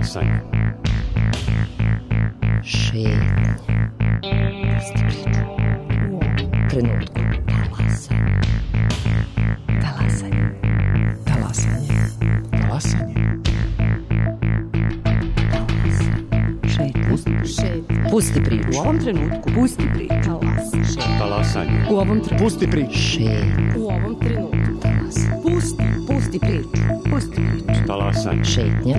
Talasanje. Šetnje. Pusti priču. U ovom trenutku. Talasanje. Talasanje. Talasanje. Talasanje. Šetnje. Pusti priču. U ovom trenutku. Pusti priču. Talasanje. U ovom trenutku. Pusti priču. Šetnje. U ovom trenutku. Pusti priču. Pusti priču. Talasanje. Šetnja.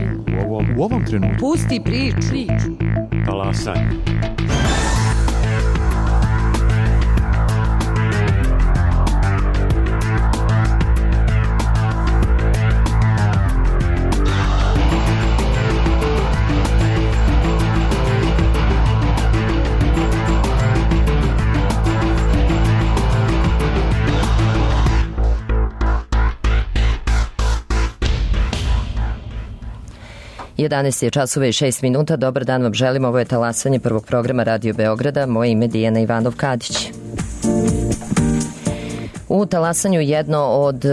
U ovom trenutku. Pusti priču. Talasanje. Jedanaest je časova i 6 minuta. Dobar dan vam želim. Ovo je Talasanje prvog programa Radio Beograda. Moje ime je Dijana Ivanov-Kadić. U Talasanju jedno od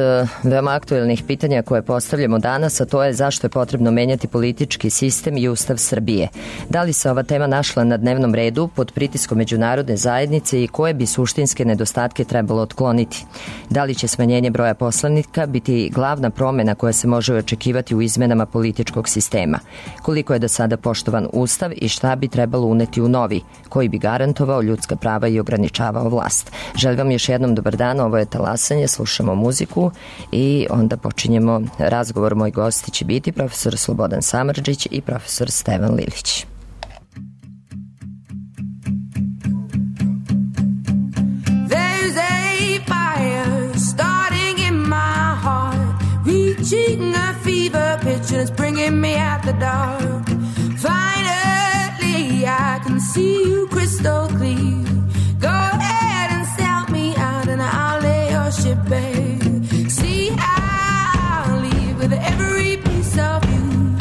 veoma aktuelnih pitanja koje postavljamo danas, a to je zašto je potrebno menjati politički sistem i Ustav Srbije. Da li se ova tema našla na dnevnom redu pod pritiskom međunarodne zajednice i koje bi suštinske nedostatke trebalo otkloniti? Da li će smanjenje broja poslanika biti glavna promena koja se može očekivati u izmenama političkog sistema? Koliko je do sada poštovan Ustav i šta bi trebalo uneti u novi, koji bi garantovao ljudska prava i ograničavao vlast? Želim vam još jednom dobar dan, ovo je Talasanje, slušamo muziku i onda počinjemo razgovor. Moj gosti će biti profesor Slobodan Samardžić i profesor Stevan Lilić. There's a fire starting in my heart, reaching a fever pitch and it's bringing me out the dark. Finally I can see you crystal clear. Go ahead and sell me out and I'll lay your ship bare. See, I'll leave with every piece of you.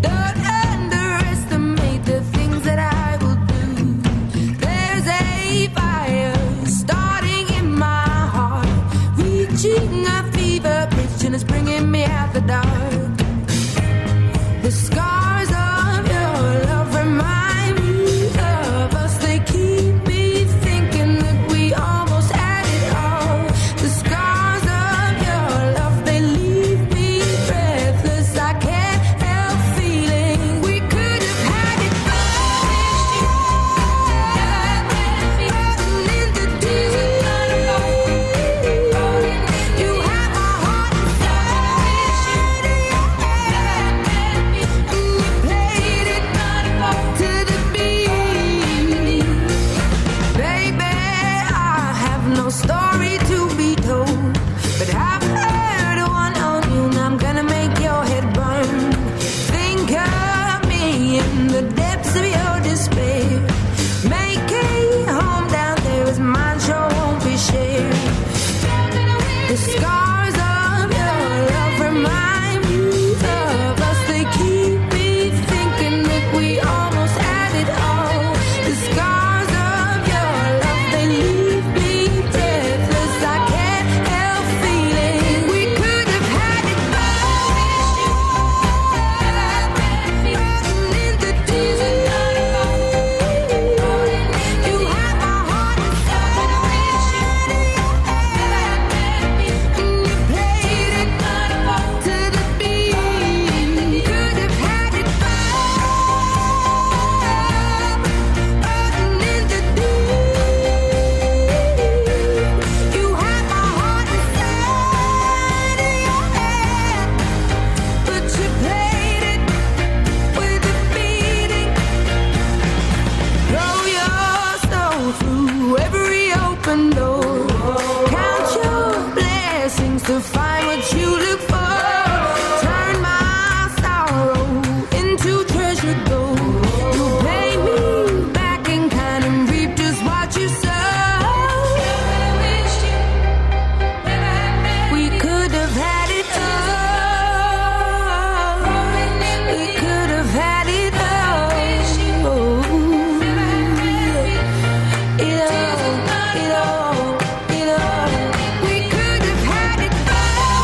Don't underestimate the things that I will do. There's a fire starting in my heart, reaching a fever pitch and it's bringing me out the dark. The scars of your love remind me of us. They keep me thinking that we almost had it all. The scars of your love, they leave me breathless. I can't help feeling we could have had it all. In the deep, you have my heart inside, and you played it to the beat. Baby, I have no story to be told, but I've heard one on you and I'm gonna make your head burn. Think of me in the depths of your despair. Make a home down there as mine sure won't be shared. The scars of your love remind me of us. They keep me thinking that we almost had it all. The scars of your love, they leave me breathless. I can't help feeling we could have had it all. In the deep, you have my heart inside, and you played it to the beat. Could have had it all. In the deep, you have my heart inside of your head, but you played it with a beating. Throw your soul through every open door. Count your blessings to find what you look for. Turn my sorrow into treasure gold. You pay me back in kind and reap just what you sow. We could have had it all. We could have had it all. It all. We could have had it all.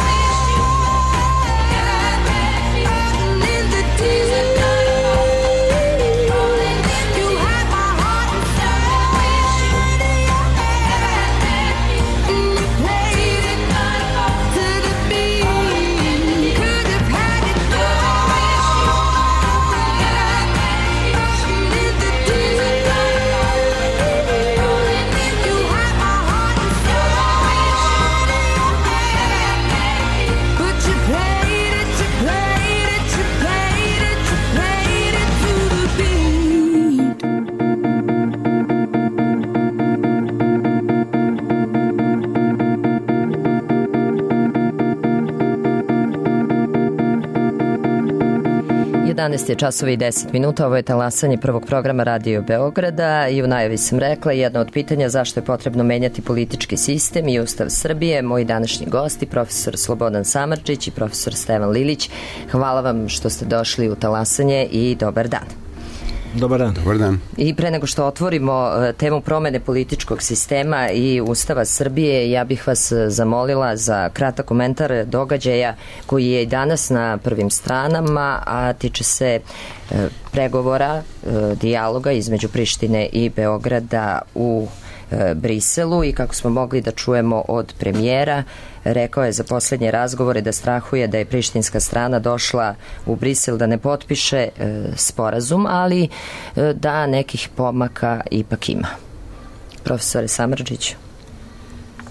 11 je časovi i 10 minuta, ovo je talasanje prvog programa Radio Beograda i u najavi sam rekla jedno od pitanja zašto je potrebno menjati politički sistem i Ustav Srbije. Moji današnji gosti, profesor Slobodan Samardžić i profesor Stevan Lilić. Hvala vam što ste došli u talasanje i dobar dan. Dobar dan. Dobar dan. I pre nego što otvorimo temu promene političkog sistema i Ustava Srbije, ja bih vas zamolila za kratak komentar događaja koji je i danas na prvim stranama, a tiče se pregovora, dijaloga između Prištine i Beograda u Briselu i kako smo mogli da čujemo od premijera, rekao je za posljednje razgovore da strahuje da je prištinska strana došla u Brisel da ne potpiše sporazum, ali da nekih pomaka ipak ima. Profesore Samardžiću.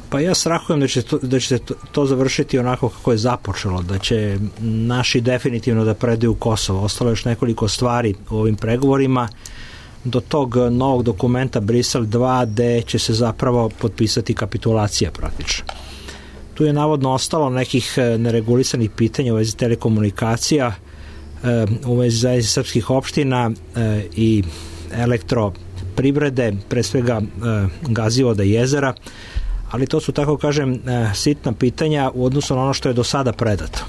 Pa ja strahujem da će to završiti onako kako je započelo, da će naši definitivno da predaju Kosovo. Ostalo je još nekoliko stvari u ovim pregovorima do tog novog dokumenta Brisel 2 gde će se zapravo potpisati kapitulacija praktično. Tu je navodno ostalo nekih neregulisanih pitanja u vezi telekomunikacija, u vezi zajednice srpskih opština i elektroprivrede, pre svega gazivoda i jezera, ali to su, tako kažem, sitna pitanja u odnosu na ono što je do sada predato.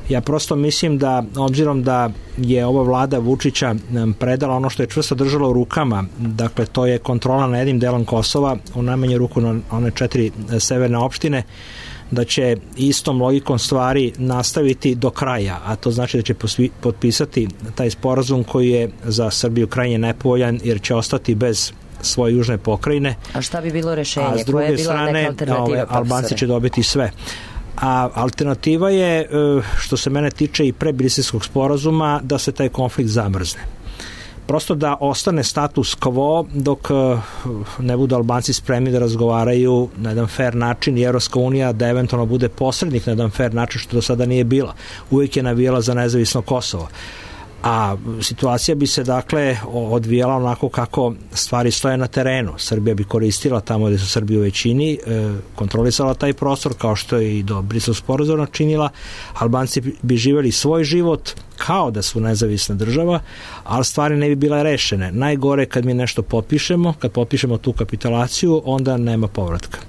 Ja prosto mislim da, obzirom da je ova vlada Vučića predala ono što je čvrsto držalo u rukama, dakle to je kontrola nad jednim delom Kosova, u najmanju ruku na one 4 severne opštine, da će istom logikom stvari nastaviti do kraja, a to znači da će potpisati taj sporazum koji je za Srbiju krajnje nepovoljan jer će ostati bez svoje južne pokrajine. A šta bi bilo rešenje? A s druge strane, Albanci će dobiti sve. A alternativa je, što se mene tiče i pre briselskog sporazuma, da se taj konflikt zamrzne. Prosto da ostane status quo dok ne budu Albanci spremni da razgovaraju na jedan fair način i Evropska unija da eventualno bude posrednik na jedan fair način, što do sada nije bila. Uvijek je navijala za nezavisno Kosovo. A situacija bi se dakle odvijala onako kako stvari stoje na terenu. Srbija bi koristila tamo gde su Srbi u većini, kontrolisala taj prostor kao što je i do briselskog sporazuma činila. Albanci bi živjeli svoj život kao da su nezavisna država, ali stvari ne bi bile rešene. Najgore kad mi nešto potpišemo, kad potpišemo tu kapitulaciju, onda nema povratka.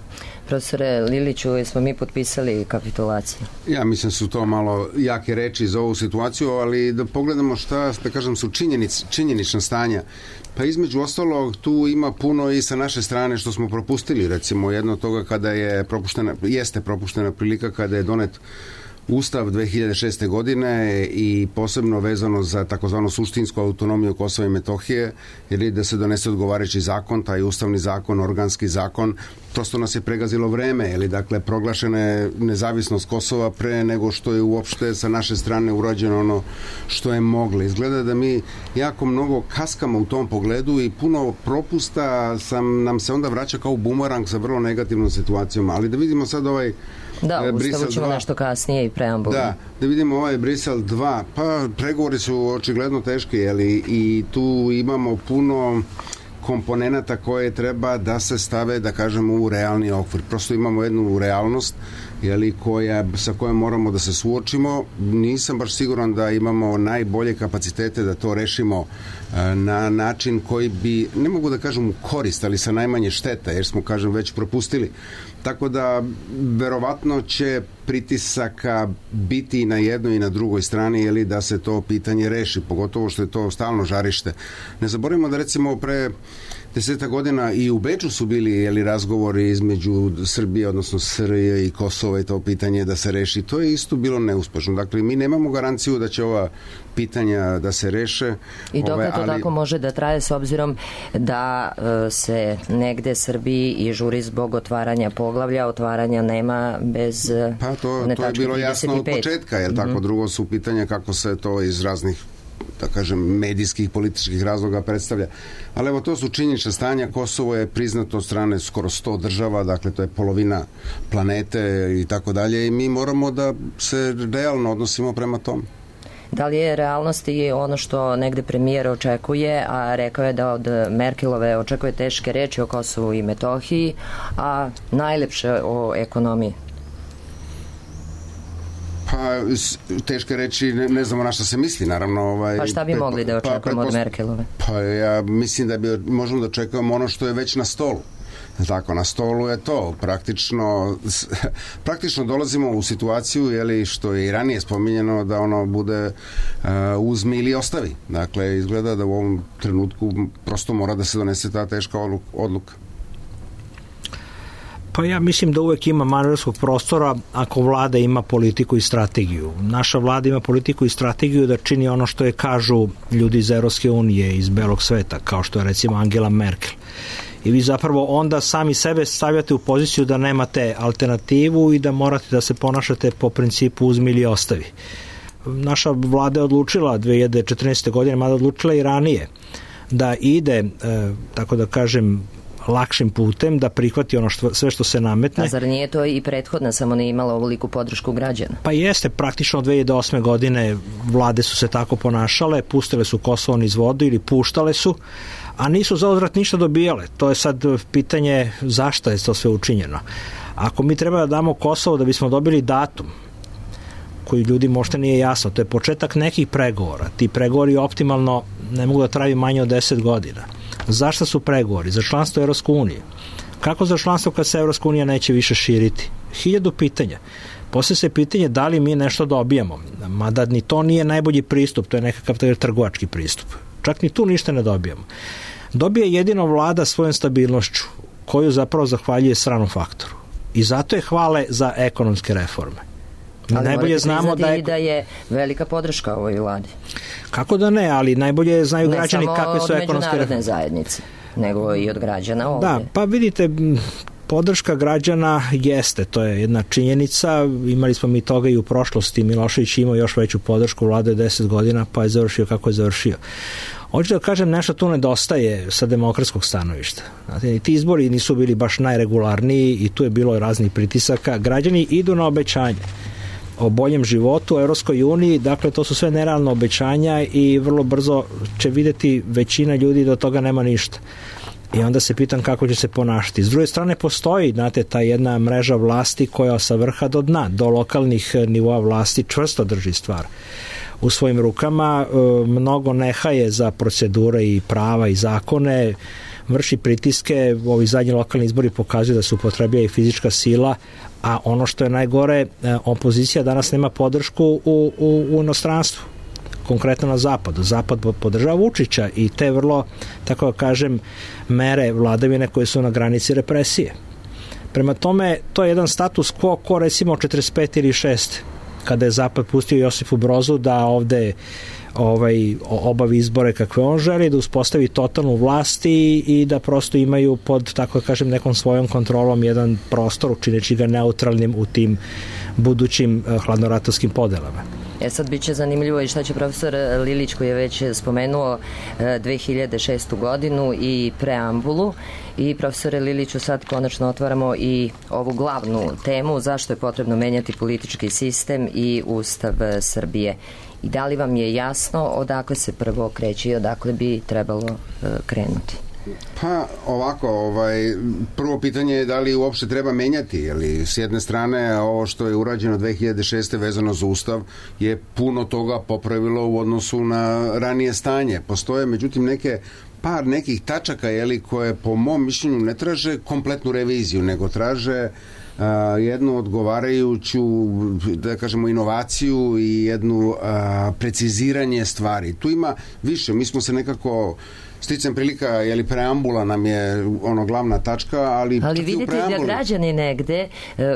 Profesore Liliću, smo mi potpisali kapitulaciju? Ja mislim su to malo jake reči za ovu situaciju, ali da pogledamo šta, da kažem, su činjenična stanja. Pa između ostalog tu ima puno i sa naše strane što smo propustili. Recimo jedno od toga kada je propuštena prilika kada je donet Ustav 2006. godine i posebno vezano za takozvanu suštinsku autonomiju Kosova i Metohije, jer da se donese odgovarajući zakon, taj ustavni zakon, organski zakon, prosto nas je pregazilo vreme, ili dakle proglašena je nezavisnost Kosova pre nego što je uopšte sa naše strane urađeno ono što je moglo. Izgleda da mi jako mnogo kaskamo u tom pogledu i puno propusta nam se onda vraća kao bumerang sa vrlo negativnom situacijom, ali da vidimo sad ovaj Da, Ustavu ćemo nešto kasnije i preambulu. Da vidimo ovaj Brisel 2, pa pregovori su očigledno teški, i tu imamo puno komponenata koje treba da se stave, da kažemo, u realni okvir. Prosto imamo jednu realnost sa kojom moramo da se suočimo. Nisam baš siguran da imamo najbolje kapacitete da to rešimo na način koji bi, ne mogu da kažem u korist, ali sa najmanje šteta, jer smo, kažem, već propustili. Tako da, verovatno će pritisaka biti i na jednoj i na drugoj strani, da se to pitanje reši, pogotovo što je to stalno žarište. Ne zaboravimo da, recimo, pre 10 godina i u Beču su bili razgovori između Srbije, odnosno SRJ i Kosova, i to pitanje da se reši. To je isto bilo neuspešno. Dakle, mi nemamo garanciju da će ova pitanja da se reše. I dok to tako može da traje, s obzirom da se negde Srbiji i žuri zbog otvaranja poglavlja, otvaranja nema bez pa to je bilo jasno od početka, jer tako. Drugo su pitanja kako se to iz raznih, da kažem, medijskih, političkih razloga predstavlja. Ali evo, to su činjenična stanja. Kosovo je priznato od strane skoro 100 država, dakle to je polovina planete i tako dalje, i mi moramo da se realno odnosimo prema tom. Da li je realnost i ono što negde premijer očekuje, a rekao je da od Merkelove očekuje teške reči o Kosovu i Metohiji, a najlepše o ekonomiji? Pa teške reči, ne znamo na šta se misli, naravno. Pa šta bi mogli da očekujemo od Merkelove? Pa ja mislim da bi možemo da očekujemo ono što je već na stolu. Tako, na stolu je to. Praktično dolazimo u situaciju, jeli, što je i ranije spominjeno, da ono bude uzmi ili ostavi. Dakle, izgleda da u ovom trenutku prosto mora da se donese ta teška odluka. Pa ja mislim da uvek ima manevarskog prostora ako vlada ima politiku i strategiju. Naša vlada ima politiku i strategiju da čini ono što je kažu ljudi iz Evropske unije, iz belog sveta, kao što je recimo Angela Merkel. I vi zapravo onda sami sebe stavljate u poziciju da nemate alternativu i da morate da se ponašate po principu uzmi ili ostavi. Naša vlada je odlučila 2014. godine, mada odlučila i ranije, da ide, tako da kažem, lakšim putem, da prihvati ono sve što se nametne. A zar nije to i prethodna, samo ne imala ovoliku podršku građana? Pa jeste, praktično od 2008. godine vlade su se tako ponašale, pustile su Kosovo niz vodu ili puštale su, a nisu za odvrat ništa dobijale. To je sad pitanje zašto je to sve učinjeno. Ako mi treba da damo Kosovo da bismo dobili datum koji ljudi možda nije jasno, to je početak nekih pregovora. Ti pregovori optimalno ne mogu da traju manje od 10 godina. Zašto su pregovori? Za članstvo Evropske unije. Kako za članstvo kad se Evropska unija neće više širiti? 1000 pitanja. Poslije se pitanje da li mi nešto dobijamo. Mada ni to nije najbolji pristup, to je nekakav trgovački pristup. Čak ni tu ništa ne dobijamo. Dobije jedino vlada svojom stabilnošću, koju zapravo zahvaljuje stranom faktoru. I zato je hvale za ekonomske reforme. Ali najbolje znamo da je velika podrška ovoj vladi. Kako da ne, ali najbolje znaju građani kakve su ekonomske reforme. Ne samo od međunarodne zajednice, nego i od građana ovdje. Da, pa vidite, podrška građana jeste, to je jedna činjenica, imali smo mi toga i u prošlosti, Milošević imao još veću podršku, vlada je 10 godina, pa je završio kako je završio. Hoću da kažem, nešto tu nedostaje sa demokratskog stanovišta. Znate, ti izbori nisu bili baš najregularniji i tu je bilo raznih pritisaka. Građani idu na obećanje o boljem životu u Evropskoj uniji, dakle to su sve nerealne obećanja i vrlo brzo će vidjeti većina ljudi da od toga nema ništa. I onda se pitam kako će se ponašati. S druge strane postoji, znate, ta jedna mreža vlasti koja sa vrha do dna, do lokalnih nivoa vlasti čvrsto drži stvar u svojim rukama, mnogo nehaje za procedure i prava i zakone, vrši pritiske, ovi zadnji lokalni izbori pokazuju da se upotrebljava i fizička sila, a ono što je najgore, opozicija danas nema podršku u inostranstvu, konkretno na zapadu. Zapad podržava Vučića i te vrlo, tako da kažem, mere vladavine koje su na granici represije. Prema tome, to je jedan status quo ko recimo 45 ili 6, kada je Zapad pustio Josifu Brozu da ovde obavi izbore kakve on želi, da uspostavi totalnu vlast i da prosto imaju pod, tako da kažem, nekom svojom kontrolom jedan prostor, učineći ga neutralnim u tim budućim hladnoratorskim podelama. Sad bit će zanimljivo i šta će profesor Lilić, koji je već spomenuo 2006. godinu i preambulu. I profesore Liliću, sad konačno otvaramo i ovu glavnu temu, zašto je potrebno menjati politički sistem i Ustav Srbije. I da li vam je jasno odakle se prvo kreće i odakle bi trebalo krenuti? Pa ovako, prvo pitanje je da li uopšte treba menjati, jer s jedne strane ovo što je urađeno 2006. vezano za Ustav je puno toga popravilo u odnosu na ranije stanje. Postoje međutim par nekih tačaka koje po mom mišljenju ne traže kompletnu reviziju, nego traže jednu odgovarajuću, da kažemo, inovaciju i jednu preciziranje stvari. Tu ima više, mi smo se nekako sticam prilika, preambula nam je glavna tačka, ali vidite da građani negde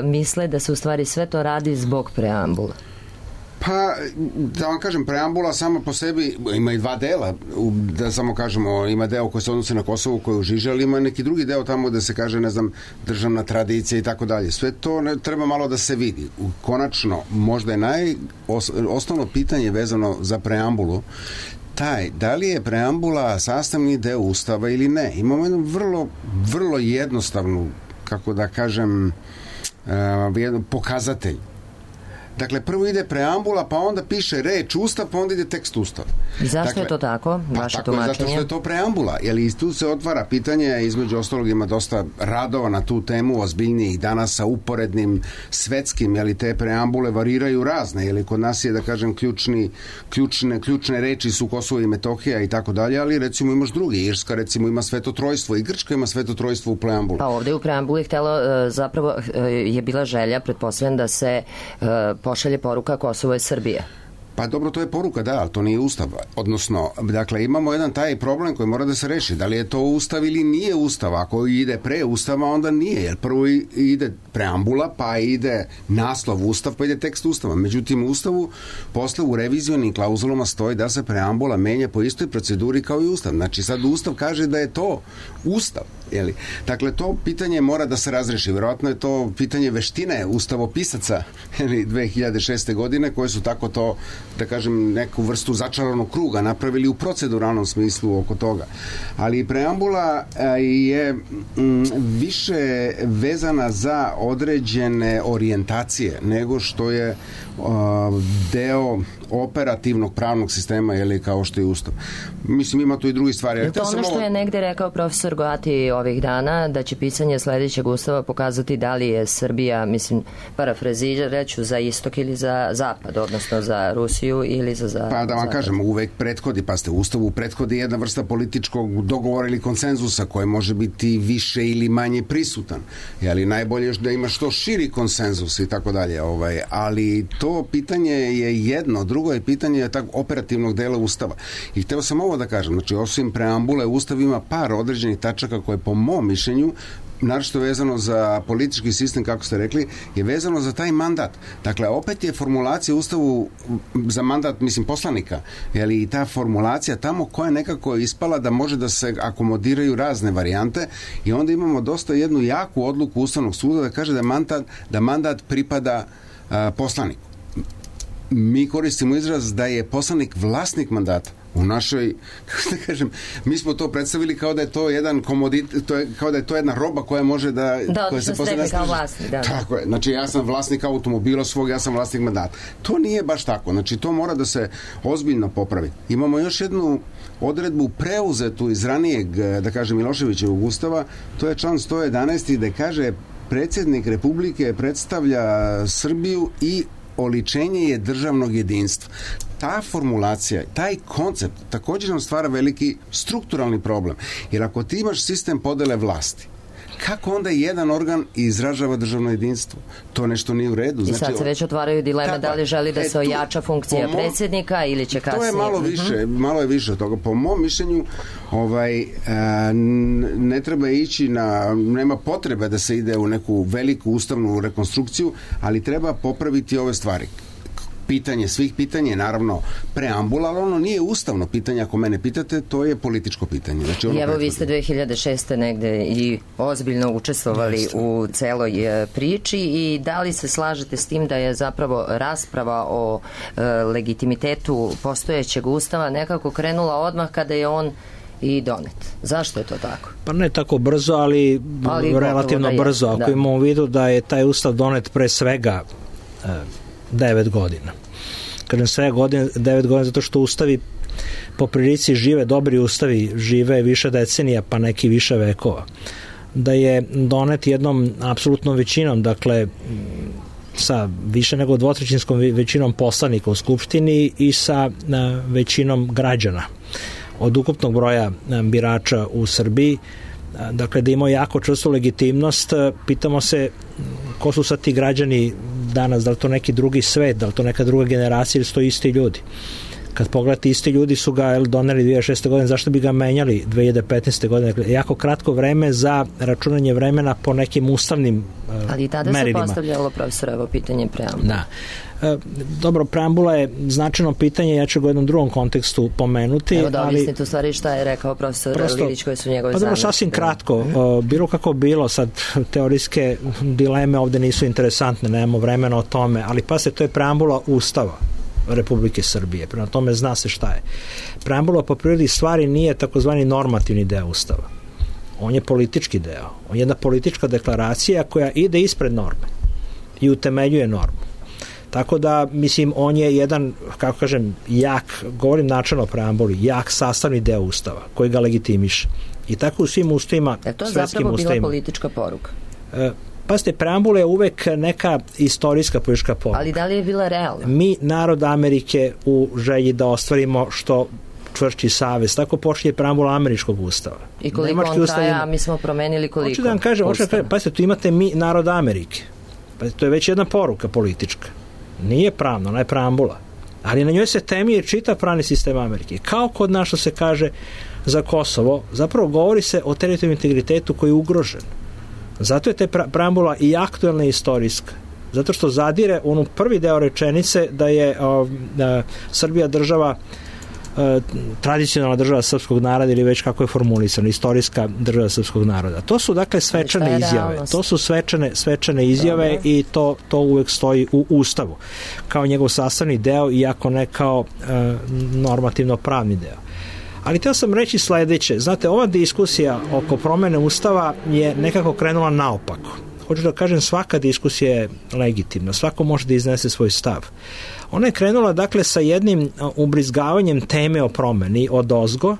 misle da se u stvari sve to radi zbog preambula. Pa, da vam kažem, preambula sama po sebi ima i dva dela, da samo kažemo, ima deo koji se odnose na Kosovo, koji je u žiži, ali ima neki drugi deo tamo da se kaže, ne znam, državna tradicija i tako dalje. Sve to treba malo da se vidi. Konačno, možda je osnovno pitanje vezano za preambulu da li je preambula sastavni deo Ustava ili ne. Imamo jednu vrlo jednostavnu, kako da kažem, jedan pokazatelj. Dakle, prvo ide preambula, pa onda piše reč Ustav, pa onda ide tekst Ustava. Zašto je to tako? Vaše tako je, zato tumačenje? što je to preambula, jer i tu se otvara pitanje, između ostalog ima dosta radova na tu temu, ozbiljnijih danas sa uporednim svetskim, jeli te preambule variraju razne, jeli kod nas je, da kažem, ključne reči su Kosovo i Metohija i tako dalje, ali recimo imaš drugi, Irska recimo ima Svetotrojstvo i Grčka ima Svetotrojstvo u preambuli. Pa ovde u preambuli zapravo je bila želja, pretpostavljam, da se pošalje poruka Kosovo je Srbije. Pa dobro, to je poruka, da, ali to nije Ustav. Odnosno, dakle, imamo jedan taj problem koji mora da se reši. Da li je to Ustav ili nije Ustav? Ako ide pre Ustava, onda nije. Jer prvo ide preambula, pa ide naslov Ustav, pa ide tekst Ustava. Međutim, u Ustavu, posle u revizionim klauzulama stoji da se preambula menja po istoj proceduri kao i Ustav. Znači, sad Ustav kaže da je to Ustav. Jeli? Dakle, to pitanje mora da se razreši. Vjerojatno je to pitanje veštine ustavopisaca 2006. godine, koje su tako to, da kažem, neku vrstu začaranog kruga napravili u proceduralnom smislu oko toga. Ali preambula je više vezana za određene orijentacije nego što je deo operativnog pravnog sistema, jeli, kao što je Ustav. Mislim, ima tu i drugi stvari. Je to ono što je negde rekao profesor Goati ovih dana, da će pisanje sledećeg Ustava pokazati da li je Srbija, mislim, parafrazireću, za istok ili za zapad, odnosno za Rusiju ili za zapad? Pa da vam kažem, uvek prethodi, pa ste, Ustavu prethodi jedna vrsta političkog dogovora ili konsenzusa koji može biti više ili manje prisutan. Jeli, najbolje je da ima što širi konsenzus i tako dalje. Ali to pitanje je jedno, drugo je pitanje operativnog dela Ustava. I hteo sam ovo da kažem, znači osim preambule, Ustav ima par određenih tačaka koje po mom mišljenju, naročito vezano za politički sistem, kako ste rekli, je vezano za taj mandat. Dakle, opet je formulacija u Ustavu za mandat, mislim, poslanika, jeli, i ta formulacija tamo koja je nekako ispala da može da se akomodiraju razne varijante i onda imamo dosta jednu jaku odluku Ustavnog suda da kaže da mandat pripada poslaniku. Mi koristimo izraz da je poslanik vlasnik mandata. U našoj, kako da kažem, mi smo to predstavili kao da je to jedan komoditet, kao da je to jedna roba koja može da koja se posle kao vlasnik, da. Tako je. Znači, ja sam vlasnik automobila svog, ja sam vlasnik mandata. To nije baš tako. Znači, to mora da se ozbiljno popravi. Imamo još jednu odredbu preuzetu iz ranijeg, da kažem, Miloševićevog Ustava, to je član 111. gde kaže predsjednik Republike predstavlja Srbiju i oličenje je državnog jedinstva. Ta formulacija, taj koncept također nam stvara veliki strukturalni problem. Jer ako ti imaš sistem podele vlasti, kako onda jedan organ izražava državno jedinstvo? To nešto nije u redu. I sad se već otvaraju dileme da li želi da se ojača funkcija predsjednika ili će kasnije. To je malo je više od toga. Po mom mišljenju ne treba ići nema potrebe da se ide u neku veliku ustavnu rekonstrukciju, ali treba popraviti ove stvari. Pitanje svih pitanja je naravno preambula, ali ono nije ustavno pitanje, ako mene pitate, to je političko pitanje. Znači, I evo vi ste 2006. negde i ozbiljno učestvovali u celoj priči i da li se slažete s tim da je zapravo rasprava o legitimitetu postojećeg Ustava nekako krenula odmah kada je on i donet. Zašto je to tako? Pa ne tako brzo, ali relativno brzo. Ako imamo u vidu da je taj Ustav donet pre svega 9 godina. Kažem sve 9 godina zato što ustavi po prilici žive, dobri ustavi žive više decenija, pa neki više vekova. Da je donet jednom apsolutnom većinom, dakle sa više nego dvotrećinskom većinom poslanika u Skupštini i sa većinom građana od ukupnog broja birača u Srbiji. Dakle, da imao jako čvrstu legitimnost. Pitamo se ko su sad ti građani danas, da li to neki drugi svet, da li to neka druga generacija ili su to isti ljudi. Kad pogledate, isti ljudi su ga doneli 2006. godine, zašto bi ga menjali 2015. godine? Dakle, jako kratko vreme za računanje vremena po nekim ustavnim merilima. Ali i tada se postavljalo, profesor, pitanje preambula. Da. Dobro, preambula je značajno pitanje, ja ću ga u jednom drugom kontekstu pomenuti. Evo da objasnite u stvari šta je rekao profesor Lilić, koje su njegove zamjerke. Sasvim kratko, bilo kako bilo, sad teorijske dileme ovde nisu interesantne, nemamo vremena o tome, ali pa se to je preambula Ustava Republike Srbije, prema tome zna se šta je. Preambula po prirodi stvari nije takozvani normativni deo Ustava. On je politički deo. On je jedna politička deklaracija koja ide ispred norme i utemeljuje normu. Tako da, mislim, on je jedan, kako kažem, jak, govorim načelno o preambuli, jak sastavni deo Ustava koji ga legitimiše. I tako u svim ustavima, svetskim ustavima. Je to zapravo bila politička poruka? Pazite, preambula je uvek neka istorijska politička poruka. Ali da li je bila realna? Mi, narod Amerike, u želji da ostvarimo što čvršći savez, tako počinje preambula američkog ustava. I koliko Nemački on traja, mi smo promenili koliko? Hoću da vam kažem, pazite, tu imate mi, narod Amerike. Pazite, to je već jedna poruka politička. Nije pravna, ona je preambula. Ali na njoj se temelji čitav pravni sistem Amerike. Kao kod nas što se kaže za Kosovo, zapravo govori se o teritorijalnom integritetu koji je ugrožen. Zato je te preambula i aktuelna i istorijska. Zato što zadire onu prvi deo rečenice da je Srbija država, tradicionalna država srpskog naroda ili već kako je formulisano, istorijska država srpskog naroda. To su dakle svečane izjave. To su svečane izjave. Dobre. I to uvek stoji u Ustavu kao njegov sastavni deo, iako ne kao normativno pravni deo. Ali htio sam reći sledeće. Znate, ova diskusija oko promene Ustava je nekako krenula naopako. Hoću da kažem, svaka diskusija je legitimna. Svako može da iznese svoj stav. Ona je krenula, dakle, sa jednim ubrizgavanjem teme o promeni odozgo,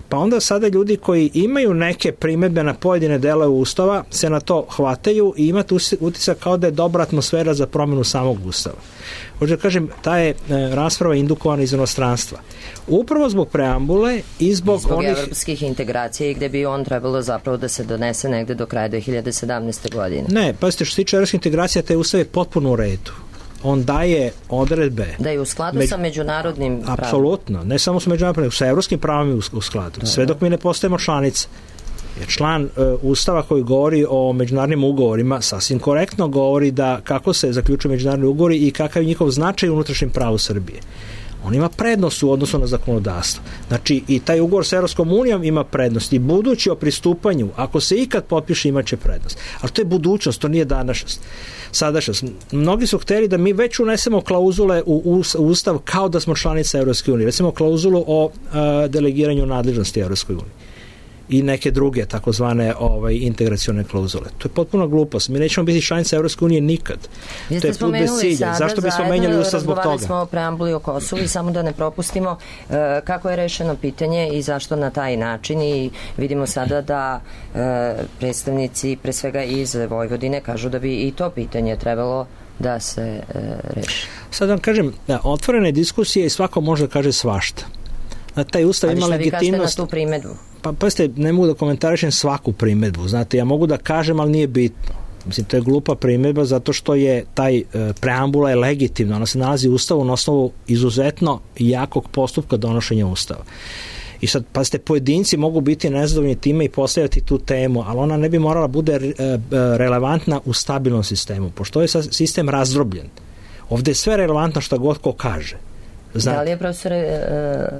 pa onda sada ljudi koji imaju neke primedbe na pojedine delove Ustava se na to hvataju i imate utisak kao da je dobra atmosfera za promenu samog Ustava. Hoću da kažem, ta je rasprava indukovana iz inostranstva. Upravo zbog preambule i zbog evropskih integracija i gde bi on trebalo zapravo da se donese negde do kraja 2017. godine. Ne, pazite, što se tiče evropskih integracija, taj Ustav je potpuno u redu. On daje odredbe. Da je u skladu sa međunarodnim pravom. Apsolutno. Ne samo sa međunarodnim, sa evropskim pravom je u skladu. Da, sve dok mi ne postajemo članice. Jer član Ustava koji govori o međunarodnim ugovorima sasvim korektno govori da kako se zaključuju međunarodni ugovori i kakav je njihov značaj u unutrašnjem pravu Srbije. On ima prednost u odnosu na zakonodavstvo. Znači, i taj ugovor sa Evropskom unijom ima prednost. I budući o pristupanju, ako se ikad potpiše, imaće prednost. Ali to je budućnost, to nije današnjost. Sadašnjost. Mnogi su hteli da mi već unesemo klauzule u Ustav kao da smo članica Evropske unije. Recimo klauzulu o delegiranju nadležnosti Evropskoj uniji i neke druge takozvane integracione klauzule. To je potpuno glupost. Mi nećemo biti članica Evropske unije nikad. Vi ste spomenuli sada, zašto bismo menjali Ustav zbog toga? Razgovarali smo o preambuli o Kosovu i samo da ne propustimo kako je rešeno pitanje i zašto na taj način, i vidimo sada da predstavnici pre svega iz Vojvodine kažu da bi i to pitanje trebalo da se reši. Sad vam kažem, otvorene diskusije i svako može da kaže svašta. Taj Ustav ima legitimnost. Ali šta vi kažete na tu primedbu? Pa ste, ne mogu da komentarišem svaku primedbu. Znate, ja mogu da kažem, ali nije bitno. Mislim, to je glupa primedba zato što je taj preambula je legitimna. Ona se nalazi u Ustavu na osnovu izuzetno jakog postupka donošenja Ustava. I sad, pazite, pojedinci mogu biti nezadovoljni time i postavljati tu temu, ali ona ne bi morala bude relevantna u stabilnom sistemu, pošto je sistem razdrobljen. Ovde je sve relevantno šta god ko kaže. Znate. Da li je, profesore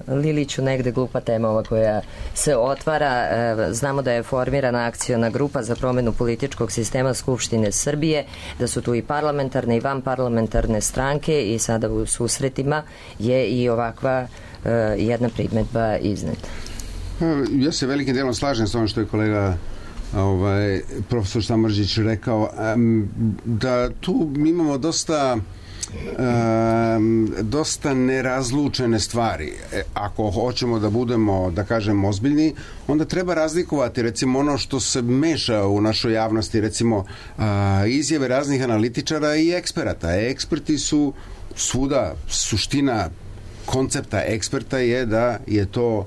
Liliću, negde glupa tema ova koja se otvara? Znamo da je formirana akciona grupa za promenu političkog sistema Skupštine Srbije, da su tu i parlamentarne i vanparlamentarne stranke i sada u susretima je i ovakva jedna primedba izneta. Ja se velikim delom slažem s ovom što je kolega profesor Samardžić rekao, da tu imamo dosta nerazlučene stvari. Ako hoćemo da budemo, da kažem, ozbiljni, onda treba razlikovati recimo ono što se meša u našoj javnosti, recimo izjave raznih analitičara i eksperata. Eksperti su svuda, suština koncepta eksperta je da je to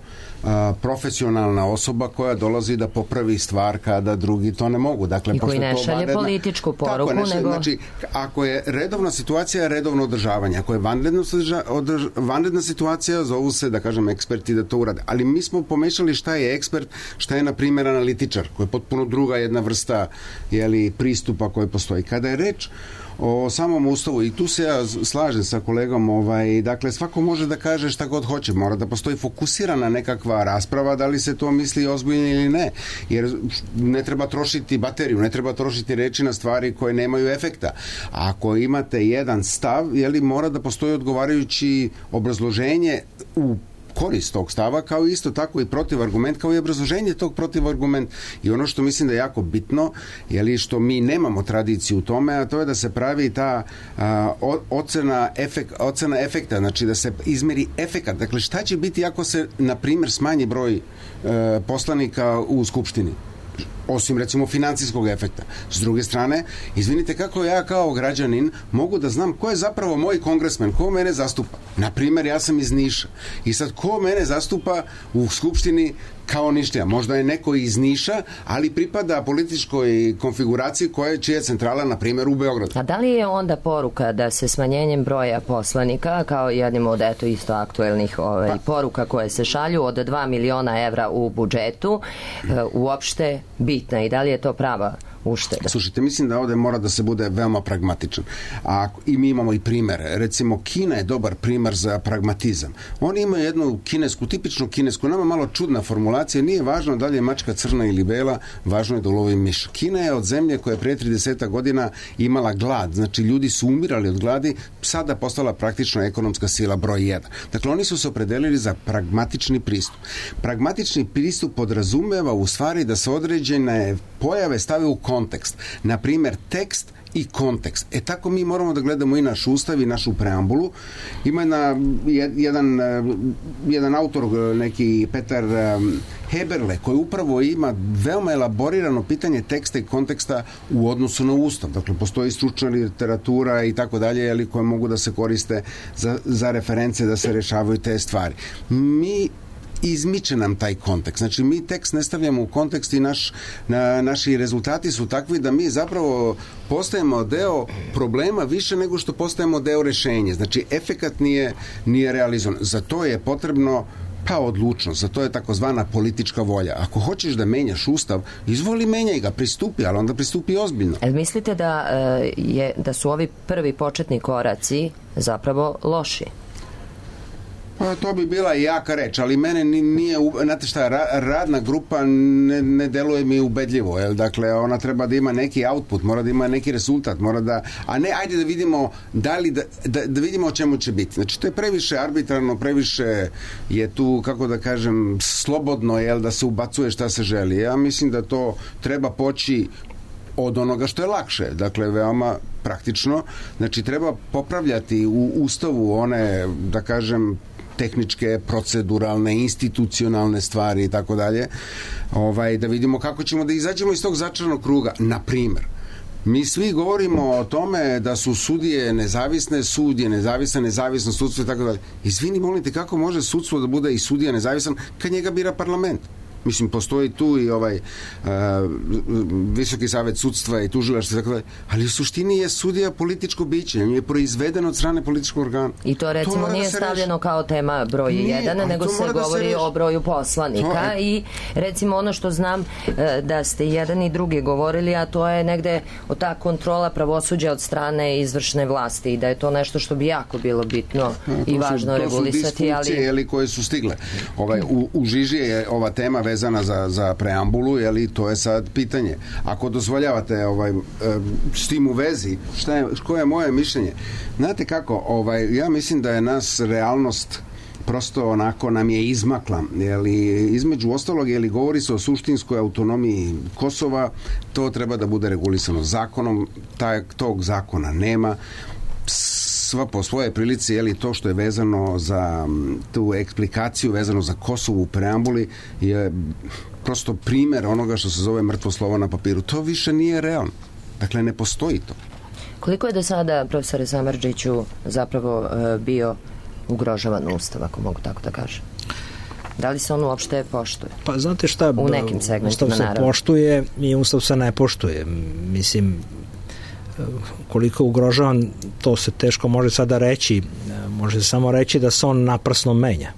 profesionalna osoba koja dolazi da popravi stvar kada drugi to ne mogu. Dakle, i koji ne šalje političku poruku. Znači, ako je redovna situacija, redovno održavanje. Ako je vanredna situacija, zovu se, da kažem, eksperti da to urade. Ali mi smo pomešali šta je ekspert, šta je, na primjer, analitičar, koja je potpuno druga jedna vrsta pristupa koja postoji. Kada je reč o samom Ustavu, i tu se ja slažem sa kolegom, dakle, svako može da kaže šta god hoće, mora da postoji fokusirana nekakva rasprava, da li se to misli ozbiljno ili ne, jer ne treba trošiti bateriju, ne treba trošiti reči na stvari koje nemaju efekta. A ako imate jedan stav, mora da postoji odgovarajući obrazloženje u korist tog stava, kao isto tako i protivargument, kao i obrazloženje tog protivargumenta. I ono što mislim da je jako bitno, je li što mi nemamo tradiciju u tome, a to je da se pravi ta ocena efekta, znači da se izmeri efekat. Dakle, šta će biti ako se, na primjer, smanji broj poslanika u Skupštini? Osim recimo financijskog efekta. S druge strane, izvinite, kako ja kao građanin mogu da znam ko je zapravo moj kongresmen, ko mene zastupa. Na primjer, ja sam iz Niša i sad ko mene zastupa u Skupštini kao Ništija. Možda je neko iz Niša, ali pripada političkoj konfiguraciji čija je centrala, na primjer, u Beogradu. A da li je onda poruka da se smanjenjem broja poslanika, kao jednim od isto aktuelnih poruka koje se šalju od 2 miliona evra u budžetu, uopšte bitna i da li je to prava ušteda? Slušajte, mislim da ovde mora da se bude veoma pragmatičan. I mi imamo i primere. Recimo, Kina je dobar primer za pragmatizam. Oni imaju jednu tipičnu kinesku, nama malo čudna formulacija, nije važno da li je mačka crna ili bela, važno je da ulovi miš. Kina je od zemlje koja je prije 30 godina imala glad, znači ljudi su umirali od gladi, sada postala praktično ekonomska sila broj 1. Dakle, oni su se opredelili za pragmatični pristup. Pragmatični pristup podrazumeva u stvari da se određene pojave stave u kontekst. Na primjer, tekst i kontekst. Tako mi moramo da gledamo i naš ustav i našu preambulu. Ima jedan autor, neki Petar Heberle, koji upravo ima veoma elaborirano pitanje teksta i konteksta u odnosu na ustav. Dakle, postoji stručna literatura i tako dalje, koje mogu da se koriste za reference, da se rešavaju te stvari. Izmiče nam taj kontekst. Znači, mi tekst ne stavljamo u kontekst i naši rezultati su takvi da mi zapravo postajemo deo problema više nego što postajemo deo rešenja. Znači, efekat nije realizovan. Za to je potrebno odlučnost, za to je takozvana politička volja. Ako hoćeš da menjaš ustav, izvoli, menjaj ga, pristupi, ali onda pristupi ozbiljno. Mislite da su ovi prvi početni koraci zapravo loši? To bi bila jaka reč, ali mene nije, znate šta, radna grupa ne deluje mi ubedljivo, dakle, ona treba da ima neki output, mora da ima neki rezultat, a ne, ajde da vidimo da vidimo o čemu će biti. Znači, to je previše arbitrarno, previše je tu, kako da kažem, slobodno, da se ubacuje šta se želi. Ja mislim da to treba poći od onoga što je lakše, dakle, veoma praktično. Znači, treba popravljati u ustavu one, da kažem, tehničke, proceduralne, institucionalne stvari i tako dalje, da vidimo kako ćemo da izađemo iz tog začaranog kruga. Na primer, mi svi govorimo o tome da su sudije nezavisne, sud je nezavisno sudstvo i tako dalje. Izvini, molim te, kako može sudstvo da bude i sudija nezavisan kad njega bira parlament? Mislim, postoji tu i Visoki savet sudstva i tužilaštva i tako dalje, ali u suštini je sudija političko biće, je proizveden od strane političkog organa. I to recimo nije stavljeno kao tema broj 1, nego se govori o broju poslanika i recimo ono što znam da ste jedan i drugi govorili, a to je negde ta kontrola pravosuđa od strane izvršne vlasti i da je to nešto što bi jako bilo bitno i važno regulisati. To su disfunkcije koje su stigle. U žiži je ova tema vezana za preambulu, to je sad pitanje. Ako dozvoljavate s tim u vezi, koje je moje mišljenje? Znate kako, ja mislim da je nas realnost prosto onako nam je izmakla. Između ostalog, govori se o suštinskoj autonomiji Kosova, to treba da bude regulisano zakonom, tog zakona nema. Sva po svoje prilici, to što je vezano za tu eksplikaciju, vezano za Kosovo u preambuli, je prosto primer onoga što se zove mrtvo slovo na papiru. To više nije realno. Dakle, ne postoji to. Koliko je do sada, profesore Samardžiću, zapravo bio ugrožavan ustav, ako mogu tako da kažem? Da li se on uopšte poštuje? Pa znate šta, u nekim segmentima, ustav se poštuje i ustav se ne poštuje. Mislim, koliko je ugrožavan, to se teško može sada reći. Može se samo reći da se on naprasno menja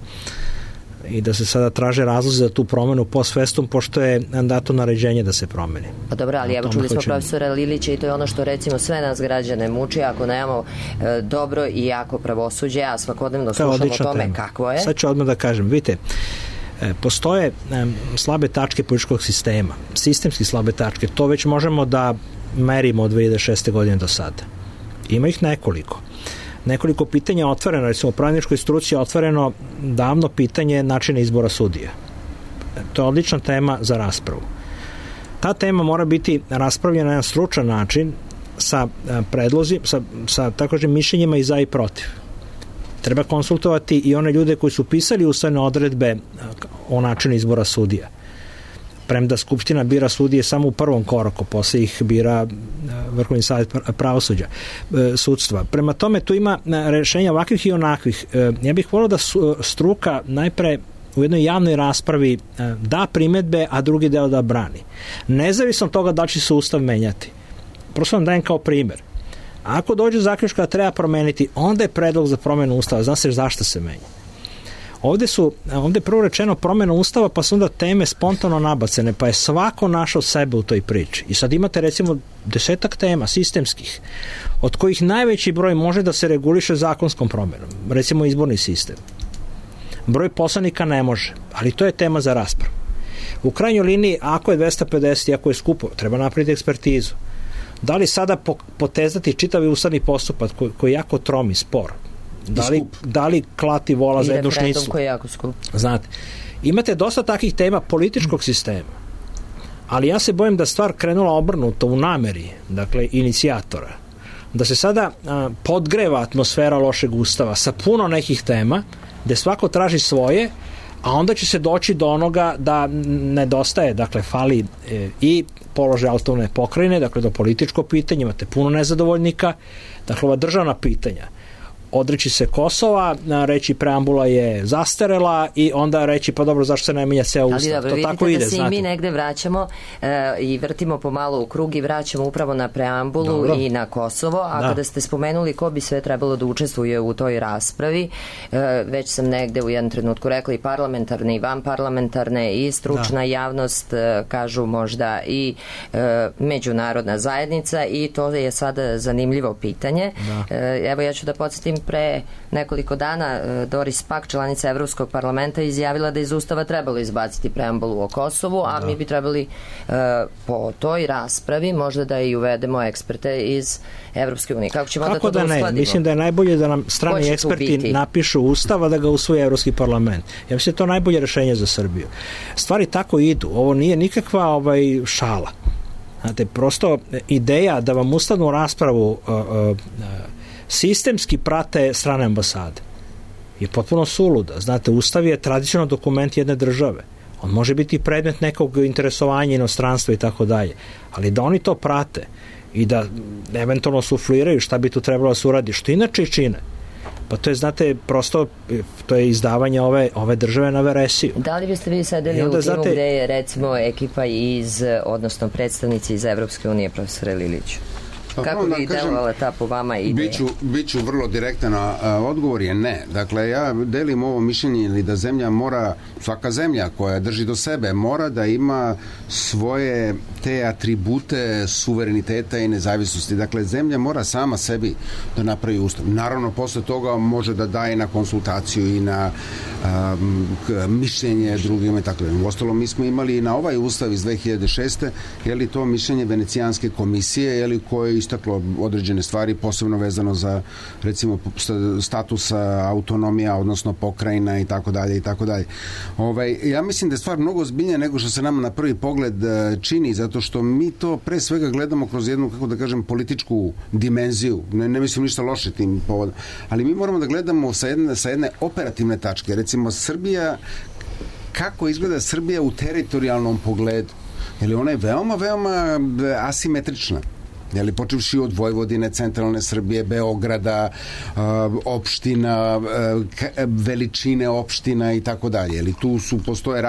i da se sada traže razlozi za tu promenu post festum, pošto je dato naređenje da se promeni. Pa dobro, ali evo čuli smo profesora Lilića i to je ono što recimo sve nas građane muči ako nemamo dobro i jako pravosuđe, a svakodnevno slušamo o tome kakvo je. Sad ću odmah da kažem, vidite, postoje slabe tačke političkog sistema, sistemski slabe tačke, to već možemo da merimo od 2006. godine do sada. Ima ih nekoliko. nekoliko pitanja otvoreno, recimo u pravničkoj struci je otvoreno davno pitanje načina izbora sudija. To je odlična tema za raspravu. Ta tema mora biti raspravljena na jedan stručan način sa predlozi, sa tako kažem mišljenjima i za i protiv. Treba konsultovati i one ljude koji su pisali ustavne odredbe o načinu izbora sudija. Premda Skupština bira sudije samo u prvom koraku, posle ih bira Vrhovni savjet pravosuđa, sudstva. Prema tome tu ima rešenja ovakvih i onakvih. Ja bih volio da struka najpre u jednoj javnoj raspravi da primedbe, a drugi deo da brani. Nezavisno od toga da će se ustav menjati. Prosto vam dajem kao primer. Ako dođe zaključka da treba promeniti, onda je predlog za promenu ustava. Zna se zašto se menja. Ovde je prvo rečeno promena ustava, pa su onda teme spontano nabacene, pa je svako našao sebe u toj priči. I sad imate recimo 10 tema sistemskih, od kojih najveći broj može da se reguliše zakonskom promenom. Recimo izborni sistem. Broj poslanika ne može, ali to je tema za raspravu. U krajnjoj liniji, ako je 250 i ako je skupo, treba napraviti ekspertizu. Da li sada potezati čitavi ustavni postupak koji je jako trom i spor? Da li klati vola za jednu šnicu? Koji je jako skup. Znate, imate dosta takih tema političkog sistema, ali ja se bojim da stvar krenula obrnuto u nameri, dakle, inicijatora. Da se sada podgreva atmosfera lošeg ustava sa puno nekih tema, gde svako traži svoje, a onda će se doći do onoga da nedostaje, dakle, fali i položaj autonomne pokrajine, dakle, do političko pitanje, imate puno nezadovoljnika, dakle, ova državna pitanja. Odreći se Kosova, reći preambula je zastarela i onda reći pa dobro zašto se ne menja ceo ustav. Ali dobro, vidite da se i mi negde vraćamo i vrtimo pomalo u krug i vraćamo upravo na preambulu i na Kosovo, a kada ste spomenuli ko bi sve trebalo da učestvuje u toj raspravi, već sam negde u jednom trenutku rekla i parlamentarne i vanparlamentarne i stručna javnost, kažu možda i međunarodna zajednica, i to je sada zanimljivo pitanje. Evo ja ću da podsjetim, pre nekoliko dana Doris Pack, članica Evropskog parlamenta, izjavila da iz ustava trebalo izbaciti preambulu o Kosovu, a mi bi trebali po toj raspravi možda da i uvedemo eksperte iz Evropske unije. Kako ćemo onda to da uskladimo? Mislim da je najbolje da nam strani eksperti napišu ustav, da ga usvoji Evropski parlament. Ja mislim da je to najbolje rešenje za Srbiju. Stvari tako idu. Ovo nije nikakva šala. Znate, prosto ideja da vam ustavnu raspravu sistemski prate strane ambasade je potpuno suluda. Znate, ustav je tradicionalno dokument jedne države. On može biti predmet nekog interesovanja inostranstva i tako dalje. Ali da oni to prate i da eventualno sufliraju šta bi tu trebalo da se uradi, što inače čine, pa to je, znate, prosto to je izdavanje ove države na veresiju. Da li biste vi sedeli u timu gde je recimo ekipa odnosno predstavnici iz Evropske unije, profesore Liliću? Kako bi delovala ta po vama ideja? Biću vrlo direktan, odgovor je ne. Dakle, ja delim ovo mišljenje ili da zemlja mora, svaka zemlja koja drži do sebe, mora da ima svoje te atribute suvereniteta i nezavisnosti. Dakle, zemlja mora sama sebi da napravi ustav. Naravno, posle toga može da daje na konsultaciju i na mišljenje drugima i tako da. Uostalom, mi smo imali na ovaj ustav iz 2006. je li to mišljenje Venecijanske komisije, je li koje istaklo određene stvari, posebno vezano za, recimo, status autonomija, odnosno pokrajina i tako dalje i tako dalje. Ja mislim da je stvar mnogo ozbiljnija nego što se nama na prvi pogled čini, zato što mi to pre svega gledamo kroz jednu, kako da kažem, političku dimenziju. Ne mislim ništa loše tim povodom. Ali mi moramo da gledamo sa jedne operativne tačke. Recimo, Srbija, kako izgleda Srbija u teritorijalnom pogledu? Jer ona je veoma, veoma asimetrična. Jeli, počevši od Vojvodine, centralne Srbije, Beograda, opština, veličine opština i tako dalje. Jeli, tu postoje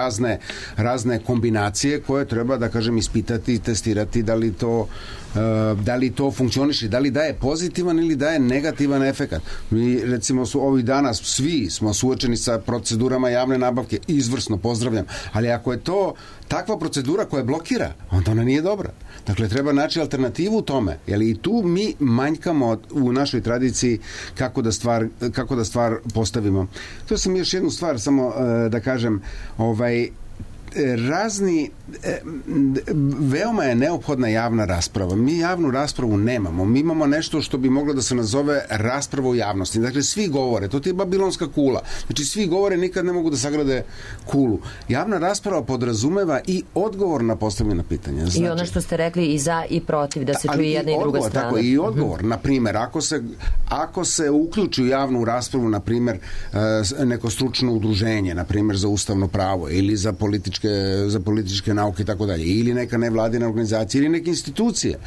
razne kombinacije koje treba, da kažem, ispitati i testirati da li to funkcioniše, da li daje pozitivan ili daje negativan efekat. Mi, recimo, ovih dana svi smo suočeni sa procedurama javne nabavke, izvrsno, pozdravljam, ali ako je to takva procedura koja blokira, onda ona nije dobra. Dakle, treba naći alternativu u tome. I tu mi manjkamo u našoj tradiciji kako da stvar postavimo. To sam još jednu stvar samo da kažem, veoma je neophodna javna rasprava. Mi javnu raspravu nemamo. Mi imamo nešto što bi moglo da se nazove rasprava u javnosti. Dakle, svi govore. To ti je babilonska kula. Znači, svi govore, nikad ne mogu da sagrade kulu. Javna rasprava podrazumeva i odgovor na postavljena pitanja. Znači, i ono što ste rekli i za i protiv, da se čuje jedna i druga strana. Tako, i odgovor. Na primjer, ako se uključi u javnu raspravu, na primjer, neko stručno udruženje, na primjer, za ustavno pravo ili za političke nauke i tako dalje, ili neka nevladina organizacija ili neke institucije.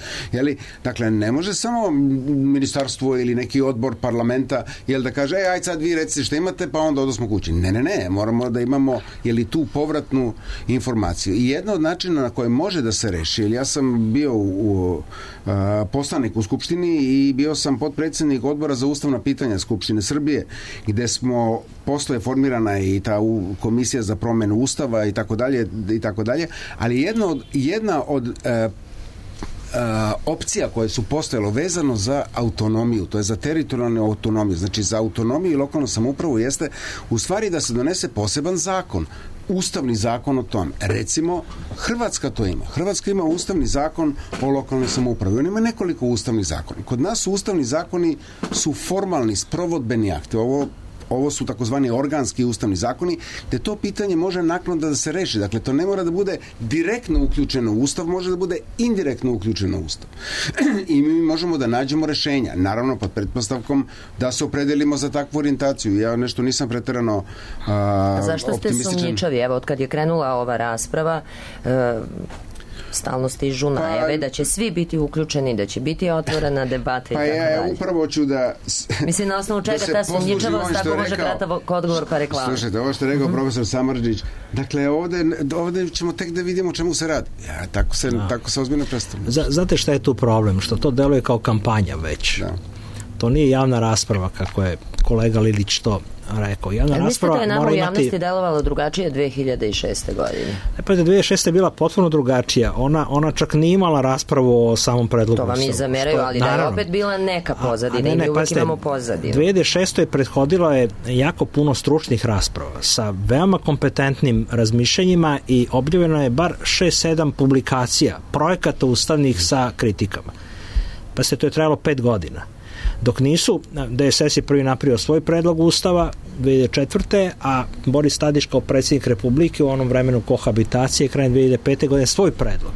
Dakle, ne može samo ministarstvo ili neki odbor parlamenta da kaže, aj sad vi recite šta imate, pa onda odosmo kući. Ne, moramo da imamo tu povratnu informaciju. I jedna od načina na koje može da se reši, ja sam bio poslanik u Skupštini i bio sam potpredsjednik odbora za ustavna pitanja Skupštine Srbije, gde smo posle formirana i ta komisija za promenu ustava i tako dalje, ali jedna od opcija koje su postojalo vezano za autonomiju, to je za teritorijalnu autonomiju, znači za autonomiju i lokalnu samoupravu, jeste u stvari da se donese poseban zakon, ustavni zakon o tome. Recimo, Hrvatska to ima. Hrvatska ima ustavni zakon o lokalnoj samoupravi. On ima nekoliko ustavnih zakona. Kod nas ustavni zakoni su formalni, sprovodbeni akti. Ovo su takozvani organski ustavni zakoni, gde to pitanje može naknadno da se reši. Dakle, to ne mora da bude direktno uključeno u Ustav, može da bude indirektno uključeno u Ustav. I mi možemo da nađemo rešenja. Naravno, pod pretpostavkom da se opredelimo za takvu orijentaciju. Ja nešto nisam preterano optimističan. Zašto ste sumnjičavi? Evo, od kad je krenula ova rasprava, stalno stižu najave da će svi biti uključeni, da će biti otvorena debata i tako dalje. Upravo ću da... Mislim, na osnovu čega ta sumnjičavost, tako može kratak odgovor pa reklama. Slušajte, ovo što je rekao profesor Samardžić, dakle, ovde ćemo tek da vidimo o čemu se radi. Tako se ozbiljno predstavlja. Znate šta je tu problem? Što to deluje kao kampanja već. Da. To nije javna rasprava, kako je kolega Lilić to rekao. Javna rasprava da je nama u javnosti delovalo drugačije 2006. godine? Pa 2006. je bila potpuno drugačija. Ona čak nije imala raspravu o samom predlogu. To vam i zameraju, ali da je opet bila neka pozadina i mi uvijek imamo pozadinu. 2006. je prethodilo je jako puno stručnih rasprava sa veoma kompetentnim razmišljanjima i objavljeno je bar 6-7 publikacija, projekata ustavnih sa kritikama. Pa se to je trajalo 5 godina. Dok nisu, DSS je prvi napravio svoj predlog ustava 2004. a Boris Tadić kao predsjednik Republike u onom vremenu kohabitacije krajem 2005. godine svoj predlog,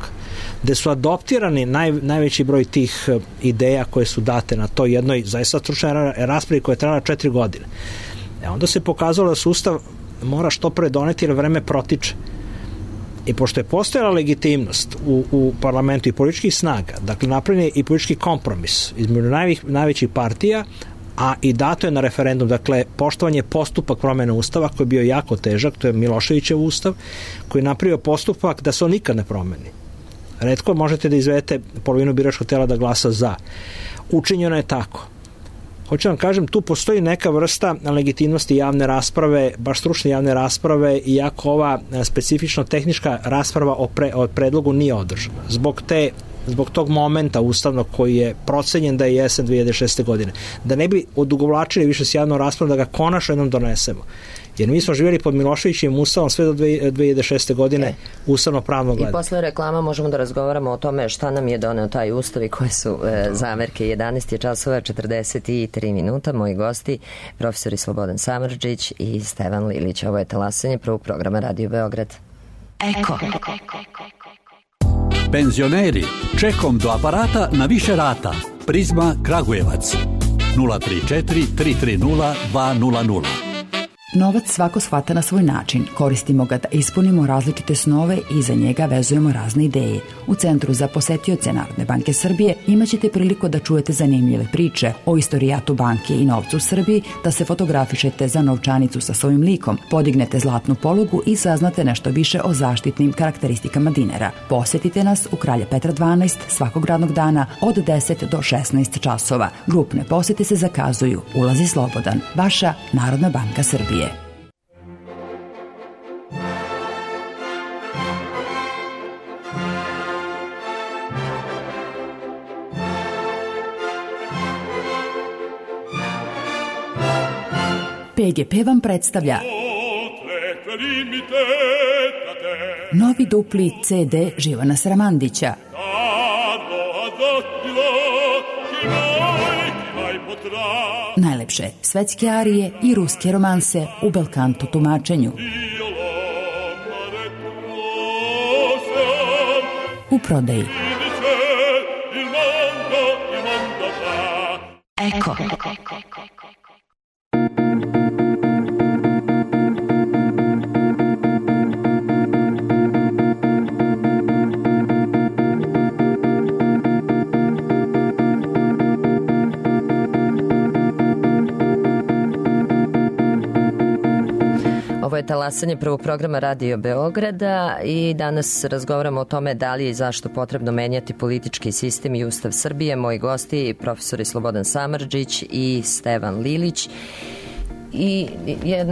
gde su adoptirani najveći broj tih ideja koje su date na toj jednoj zaista stručnoj raspravi koja je trajala 4 godine. Onda se pokazalo da se ustav mora što pre doneti jer vreme protiče. I pošto je postojala legitimnost u parlamentu i političkih snaga, dakle napravljen je i politički kompromis između najvećih partija, a i dato je na referendum, dakle poštovanje postupak promjene ustava koji je bio jako težak, to je Miloševićev ustav, koji je napravio postupak da se on nikad ne promeni. Retko možete da izvedete polovinu biračkog tela da glasa za. Učinjeno je tako. Hoću vam kažem, tu postoji neka vrsta legitimnosti javne rasprave, baš stručne javne rasprave, iako ova specifično tehnička rasprava o predlogu nije održana. Zbog tog momenta ustavnog koji je procenjen da je jesen 2006. godine. Da ne bi odugovlačili više s javnom raspravom, da ga konačno jednom donesemo. Jer mi smo živjeli pod Miloševićim ustavom sve do 2006. godine ustavno pravno gledano. I posle reklama možemo da razgovaramo o tome šta nam je doneo taj ustav i koje su zamerke. 11 časova 43 minuta. Moji gosti, profesori Slobodan Samardžić i Stevan Lilić. Ovo je Talasanje prvog programa Radio Beograd. Eko. Penzioneri, čekom do aparata na više rata. Prizma Kragujevac 034 330 200. Novac svako shvata na svoj način. Koristimo ga da ispunimo različite snove i za njega vezujemo razne ideje. U Centru za posetioce Narodne banke Srbije imaćete priliku da čujete zanimljive priče o istorijatu banke i novcu u Srbiji, da se fotografišete za novčanicu sa svojim likom, podignete zlatnu polugu i saznate nešto više o zaštitnim karakteristikama dinara. Posetite nas u Kralja Petra 12 svakog radnog dana od 10 do 16 časova. Grupne posete se zakazuju. Ulaz je slobodan. Vaša Narodna banka Srbije. PGP vam predstavlja Novi dupli CD Živana Sramandića. Najlepše svetske arije i ruske romanse u belkanto tumačenju. U prodaji. Eko. Ovo je talasanje prvog programa Radio Beograda i danas razgovaramo o tome da li je i zašto potrebno menjati politički sistem i Ustav Srbije. Moji gosti, profesori Slobodan Samardžić i Stevan Lilić. I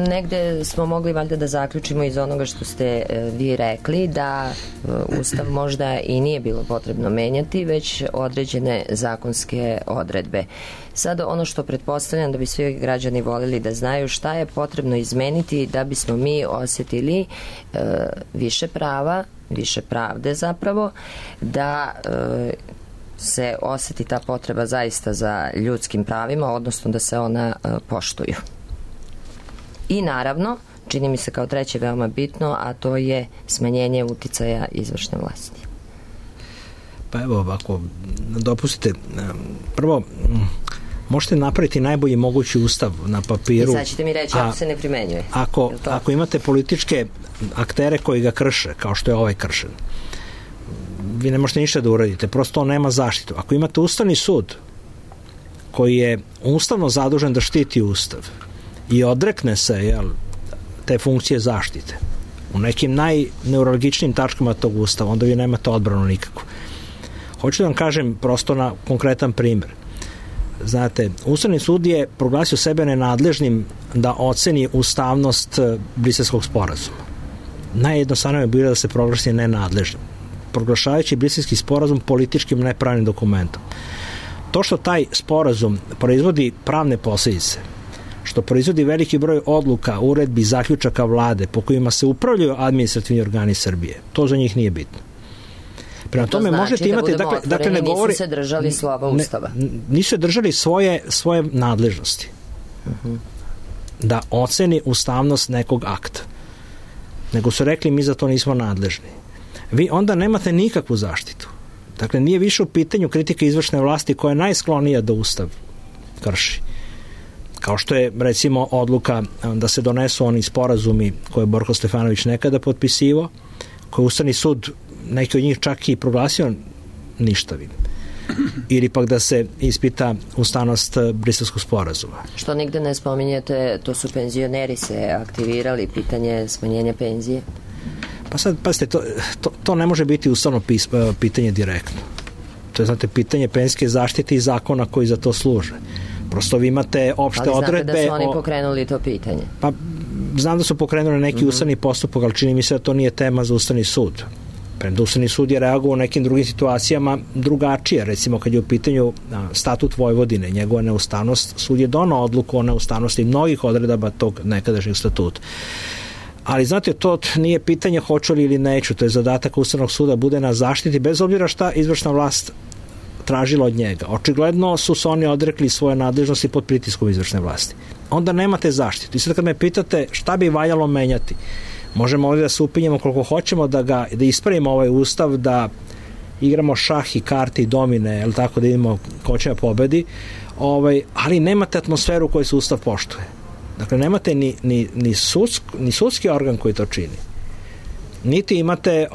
negde smo mogli valjda da zaključimo iz onoga što ste vi rekli da Ustav možda i nije bilo potrebno menjati, već određene zakonske odredbe. Sad ono što pretpostavljam da bi svi građani volili da znaju šta je potrebno izmeniti da bismo mi osjetili više prava, više pravde zapravo, da se osjeti ta potreba zaista za ljudskim pravima, odnosno da se ona poštuju. I naravno, čini mi se kao treće veoma bitno, a to je smanjenje uticaja izvršne vlasti. Pa evo, ako dopustite, prvo, možete napraviti najbolji mogući ustav na papiru. I sad ćete mi reći ako se ne primenjuje. Ako imate političke aktere koji ga krše, kao što je ovaj kršen, vi ne možete ništa da uradite, prosto on nema zaštitu. Ako imate Ustavni sud koji je ustavno zadužen da štiti Ustav i odrekne se te funkcije zaštite u nekim najneurologičnim tačkama tog Ustava, onda vi nemate odbranu nikakvu. Hoću da vam kažem prosto na konkretan primjer. Znate, Ustavni sud je proglasio sebe nenadležnim da oceni ustavnost Briselskog sporazuma. Najjednostavnije je bilo da se proglasi nenadležnim, proglašavajući Briselski sporazum političkim nepravnim dokumentom. To što taj sporazum proizvodi pravne posljedice, što proizvodi veliki broj odluka, uredbi, zaključaka vlade po kojima se upravljaju administrativni organi Srbije, to za njih nije bitno. Prema tome znači možete imati, dakle ne govori, nisu se držali slova Ustava. Nisu se držali svoje nadležnosti. Da oceni ustavnost nekog akta. Nego su rekli mi za to nismo nadležni. Vi onda nemate nikakvu zaštitu. Dakle, nije više u pitanju kritika izvršne vlasti koja je najsklonija da Ustav krši. Kao što je, recimo, odluka da se donesu oni sporazumi koje je Borko Stefanović nekada potpisivao, koje je Ustavni sud, neki od njih čak i proglasio ništavim. Ili pak da se ispita ustavnost Briselskog sporazuma. Što nigde ne spominjete, to su penzioneri se aktivirali, pitanje smanjenja penzije? Pa sad, pazite, to ne može biti ustavno pitanje direktno. To je, znate, pitanje penzijske zaštite i zakona koji za to služe. Prosto vi imate opšte odredbe. Ali znate da su oni pokrenuli to pitanje? Pa, znam da su pokrenuli neki ustavni postupak, ali čini mi se da to nije tema za Ustavni sud. Premda Ustavni sud je reagovao u nekim drugim situacijama drugačije. Recimo, kad je u pitanju statut Vojvodine, njegova neustavnost, sud je donao odluku o neustavnosti mnogih odredaba tog nekadašnjeg statuta. Ali, znate, to nije pitanje hoću li ili neću, to je zadatak Ustavnog suda, bude na zaštiti, bez obzira šta izvršna vlast tražila od njega. Očigledno su se oni odrekli svoje nadležnosti pod pritiskom izvršne vlasti. Onda nemate zaštitu. I sad kad me pitate šta bi valjalo menjati, možemo ovdje da se upinjemo koliko hoćemo da ispravimo ovaj ustav, da igramo šah i karte i domine, jel tako, da idemo ko će da pobedi, ali nemate atmosferu koju se ustav poštuje. Dakle, nemate ni sudski organ koji to čini. Niti imate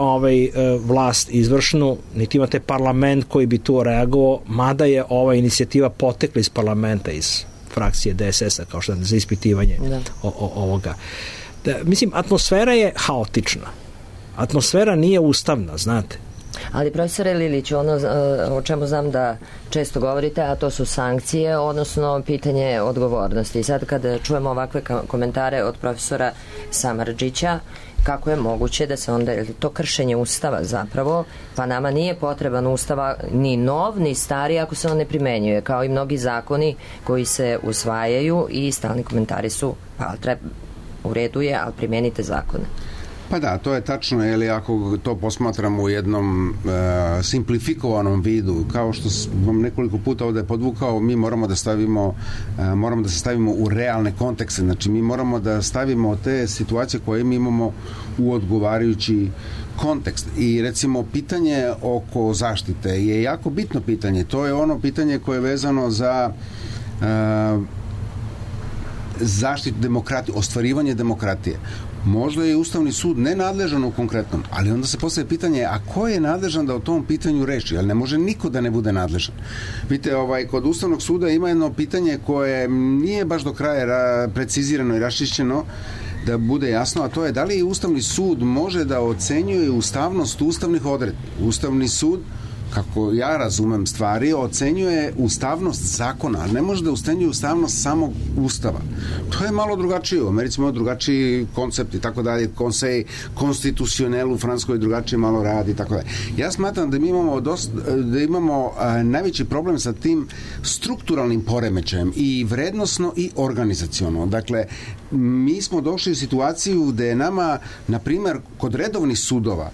vlast izvršnu, niti imate parlament koji bi tu reagovao, mada je ova inicijativa potekla iz parlamenta, iz frakcije DSS-a, kao što je za ispitivanje ovoga. Mislim, atmosfera je haotična. Atmosfera nije ustavna, znate. Ali, profesore Lilić, ono o čemu znam da često govorite, a to su sankcije, odnosno pitanje odgovornosti. I sad kada čujemo ovakve komentare od profesora Samardžića, kako je moguće da se onda, to kršenje Ustava zapravo, pa nama nije potreban Ustava ni nov, ni stari ako se on ne primenjuje, kao i mnogi zakoni koji se usvajaju i stalni komentari su, pa u redu je, ali primenite zakone. Pa da, to je tačno, ili ako to posmatramo u jednom simplifikovanom vidu, kao što sam nekoliko puta ovde podvukao, mi moramo da se stavimo u realne kontekste, znači mi moramo da stavimo te situacije koje mi imamo u odgovarajući kontekst. I recimo pitanje oko zaštite je jako bitno pitanje, to je ono pitanje koje je vezano za zaštitu demokratije, ostvarivanje demokratije. Možda je Ustavni sud nenadležan u konkretnom, ali onda se postavlja pitanje, a ko je nadležan da o tom pitanju reši? Ali ne može niko da ne bude nadležan. Vidite, kod Ustavnog suda ima jedno pitanje koje nije baš do kraja precizirano i raščišćeno, da bude jasno, a to je da li Ustavni sud može da ocenjuje ustavnost ustavnih odredbi. Ustavni sud, kako ja razumem stvari, ocenjuje ustavnost zakona, ali ne može da ocenjuje ustavnost samog Ustava. To je malo drugačije. U Americi imamo drugačiji koncept i tako dalje. Conseil constitutionnel u Francuskoj drugačije malo radi i tako dalje. Ja smatram da mi imamo najveći problem sa tim strukturalnim poremećajem i vrednosno i organizaciono. Dakle, mi smo došli u situaciju gde je nama, na primer, kod redovnih sudova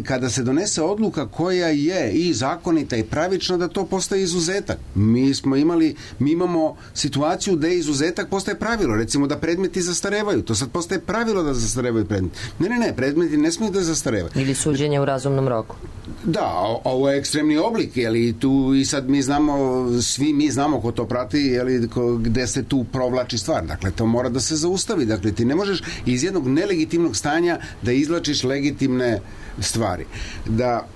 kada se donese odluka koja je i zakonita i pravična, da to postaje izuzetak. Mi imamo situaciju gde izuzetak postaje pravilo, recimo da predmeti zastarevaju, to sad postaje pravilo da zastarevaju predmeti. Ne, predmeti ne smiju da zastarevaju. Ili suđenje u razumnom roku. Da, ovo je ekstremni oblik, jeli, tu i sad svi mi znamo ko to prati, jeli, gde se tu provlači stvar. Dakle, to mora da se zaustavi. Dakle, ti ne možeš iz jednog nelegitimnog stanja da izvlačiš legitimne stvari. Da